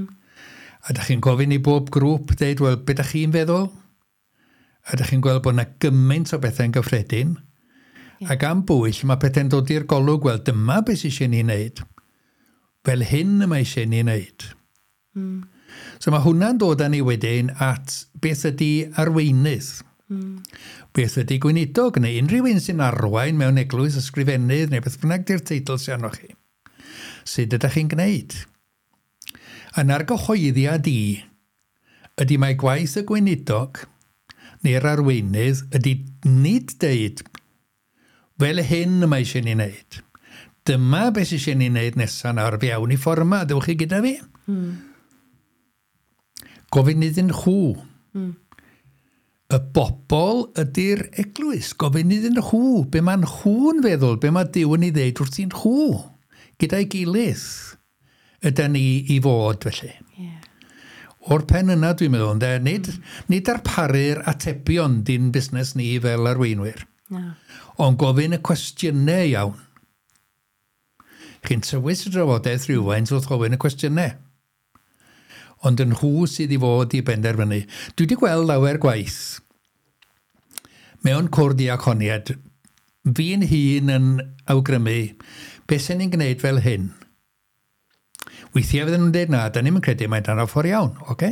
A da chi'n gofyn i bob grŵp deud, wel, be da chi'n feddwl? A da chi'n gweld bod yna gymaint o bethau'n gyffredin. Ac am bwyll, mae pethau'n dod i'r golwg, wel, dyma beth sydd eisiau ni wneud. Fel hyn y mae eisiau ni wneud. So mae hwnna'n dod â ni wedyn at beth ydy arweinydd. Beth ydy gweinidog, neu unrhyw un sy'n arwain mewn eglwys, ysgrifennydd, neu beth bynnag di'r teitl sy'n arnoch chi. Sut ydych chi'n gwneud? Yn argyhoeddiad i, ydy mae gwaith y gweinidog neu'r arweinydd ydy nid deud fel hyn y mae eisiau ni wneud. Dyma beth sydd eisiau ni wneud nesaf nawr, fe awn i ffordd yma, dewch chi gyda fi. Gofyn iddyn nhw. Y bobl ydy'r eglwys. Gofyn iddyn nhw. Be maen nhw'n feddwl, be mae Duw yn ei ddeud wrthyn nhw. Gyda'i gilydd ydy ni i fod felly. O'r pen yna dwi'n meddwl, ynde, nid darparu'r atebion di'n busnes ni fel arweinwyr. Na. Ond gofyn y cwestiynau iawn. Chi'n tywys y drafodaeth rhywfaint wrth gofyn y cwestiynau. Ond yn nhw sydd i fod i benderfynu. Dwi wedi gweld lawer gwaith mewn cwrdd diaconiad, fi'n hun yn awgrymu beth sy'n ni'n gwneud fel hyn. Weithiau fydden nhw'n dweud na, da ni'm yn credu mae dan ffordd iawn, oce?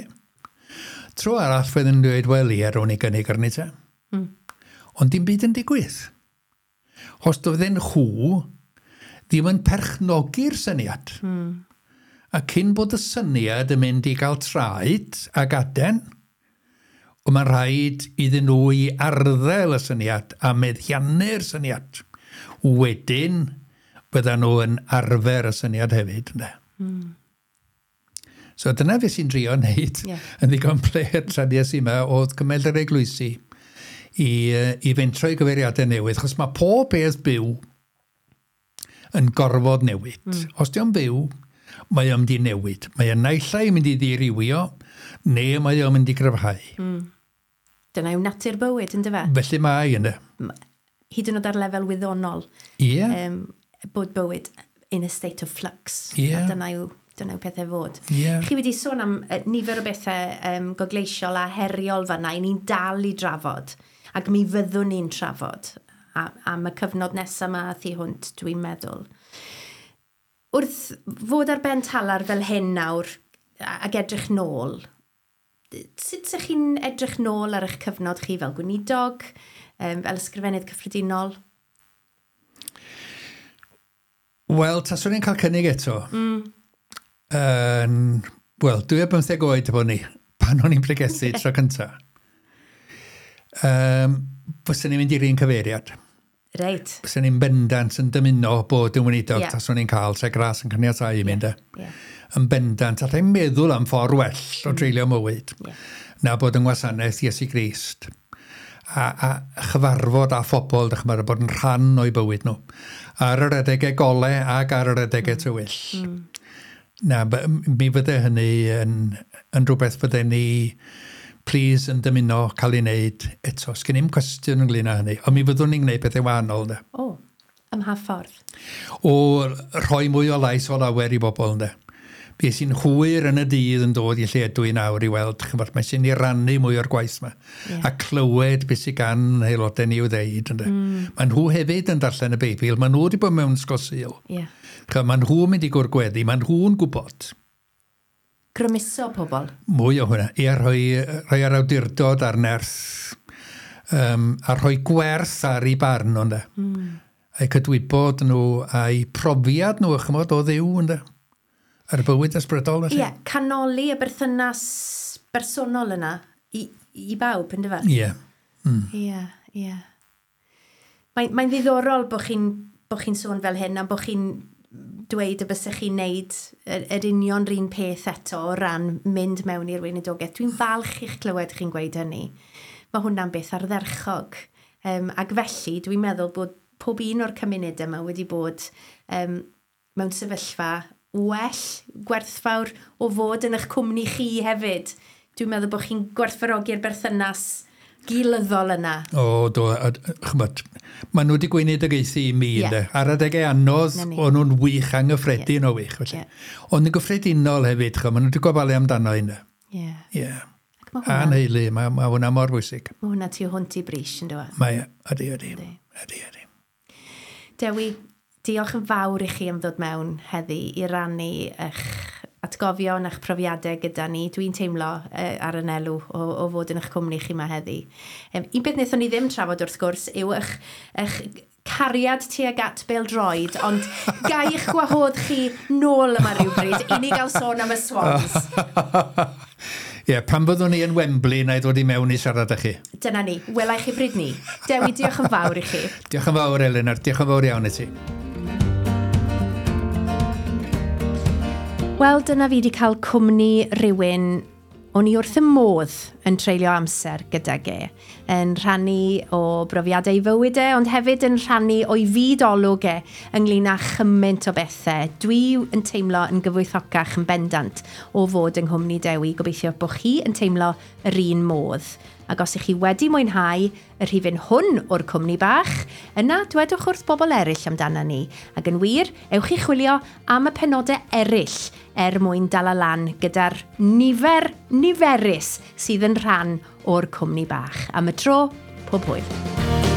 Tro arall fydden nhw'n dweud, wel ie, rown i gynnig arni te. Ond dim byd yn digwydd. Os doedden nhw ddim yn perchnogi'r syniad. A cyn bod y syniad yn mynd i gael traed ac aden, ond mae'n rhaid iddyn nhw i arddel y syniad a meddiannu'r syniad. Wedyn, byddan nhw yn arfer y syniad hefyd. Ynde? So dyna fe sy'n drio wneud yn ddigon pler tra nes i yma oedd cymell yr eglwysi i fentro i gyfeiriadau newydd, achos mae pob peth byw yn gorfod newid. Os di o'n byw, mae o'n mynd i newid. Mae o'n naill ai mynd i ddirywio, neu mae o'n mynd i gryfhau. Dyna yw natur bywyd, yndyfe? Felly mae, ynde. Hyd yn oed ar lefel wyddonol. Bod bywyd in a state of flux. A dyna yw pethau fod. Chi wedi sôn am nifer o bethau gogleisiol a heriol fan'na, i ni'n dal i drafod. Ac mi fyddwn ni'n trafod am y cyfnod nesaf yma a thu hwnt, dwi'n meddwl. Wrth fod ar ben talar fel hyn nawr ac edrych nôl, sut ydych chi'n edrych nôl ar eich cyfnod chi fel gweinidog, fel ysgrifennydd cyffredinol? Wel, taswn i'n cael cynnig eto. Wel, 25 oed bod ni, pan o'n i'n pregethu tro cynta. Fyswn i'n mynd i'r un cyfeiriad. Fyswn i'n bendant yn dymuno bod yn weinidog, taswn i'n cael lle gras yn caniatáu i mynd. Yn bendant, allai'n meddwl am ffordd well o dreulio mywyd na bod yng ngwasanaeth Iesu Grist. A chyfarfod â phobl, dych chi'n bod yn rhan o'i bywyd nhw. Ar yr adegau golau ac ar yr adegau tywyll. Na, mi fydde hynny yn rhywbeth fydde ni please yn dymuno cael ei wneud eto. Sgen i'm cwestiwn ynglyn â hynny, ond mi fyddwn ni'n gwneud pethau wahanol. Ynde. O, ym mha ffordd? O rhoi mwy o lais o lawer i bobl, ynde. Fi sy'n hwyr yn y dydd yn dod i lle ydw i nawr i weld, chymod, mae sy'n i rannu mwy o'r gwaith yma. Yeah. A clywed beth sydd gan aelodau ni i'w ddeud. Mm. Mae nhw hefyd yn darllen y Beibl, mae nhw wedi bod mewn ysgol Sul. Yeah. Mae nhw'n mynd i gwrgweddi, mae nhw'n gwybod. Grymuso pobl. Mwy o hwnna. Ia, rhoi, rhoi ar awdurdod a'r nerth a rhoi gwerth ar ei barn nhw, ynde. A'u cydwybod nhw, a'u profiad nhw, chymod, o Dduw, ynde. Ar y bywyd ysbrydol, felly. Ie, canoli y berthynas bersonol yna i, i bawb, ynde fe? Ie. Ie, ie. Mae'n mae ddiddorol bod chi'n bo chi sôn fel hyn a bod chi'n dweud y bysech chi'n neud yr, yr union run peth eto o ran mynd mewn i'r weinidogaeth. Dwi'n falch i'ch clywed chi'n gweud hynny. Mae hwnna'n beth ardderchog. Ac felly dwi'n meddwl bod pob un o'r cymunedau yma wedi bod mewn sefyllfa well, gwerthfawr o fod yn eich cwmni chi hefyd. Dwi'n meddwl bod chi'n gwerthfawrogi'r berthynas gilyddol yna. O, do, chymod, maen nhw wedi gweinidogaethu i mi, yeah. Ar adegau anodd, o'n nhw'n wych, anghyffredin yeah. o wych. Felly. Yeah. Ond yn gyffredinol hefyd, chymod, maen nhw wedi gofalu amdano hynna. Ie. Yeah. Yeah. A'n heulu, mae ma hwnna mor bwysig. Mae hwnna tu hwnt i bris, yn dweud? Mae, ydy, ydy. Ydy, ydy. Dewi, diolch yn fawr i chi am ddod mewn heddi i rannu eich atgofion a'ch profiadau gyda ni. Dwi'n teimlo ar yn elw o, o fod yn eich cwmni chi yma heddi. Un beth wnaethon ni ddim trafod wrth gwrs yw eich, eich cariad tuag at bêl-droed, ond gai eich gwahodd chi nôl yma rhywbryd i ni gael sôn am y Swans. Ie, yeah, pan fyddwn ni yn Wembley, na i ddod i mewn i siarad â chi. Dyna ni. Wela i chi bryd ni. Dewi, diolch yn fawr i chi. Diolch yn fawr, Elinor. Diolch yn fawr iawn i ti. Wel, dyna fi wedi cael cwmni rhywun o'n i wrth y modd yn treulio amser gydag e, yn rhannu o brofiadau ei fywyd e, ond hefyd yn rhannu o'i fyd olwg e ynglyn â chymaint o bethau. Dwi yn teimlo yn gyfoethocach yn bendant o fod yng nghwmni Dewi. Gobeithio bod chi yn teimlo yr un modd. Ac os ych chi wedi mwynhau y rhifyn hwn o'r cwmni bach, yna dwedwch wrth bobl eraill amdano ni. Ac yn wir, ewch i chwilio am y penodau eraill er mwyn dal y lan gyda'r nifer niferus sydd yn rhan o'r cwmni bach. Am y tro, pob hwyl.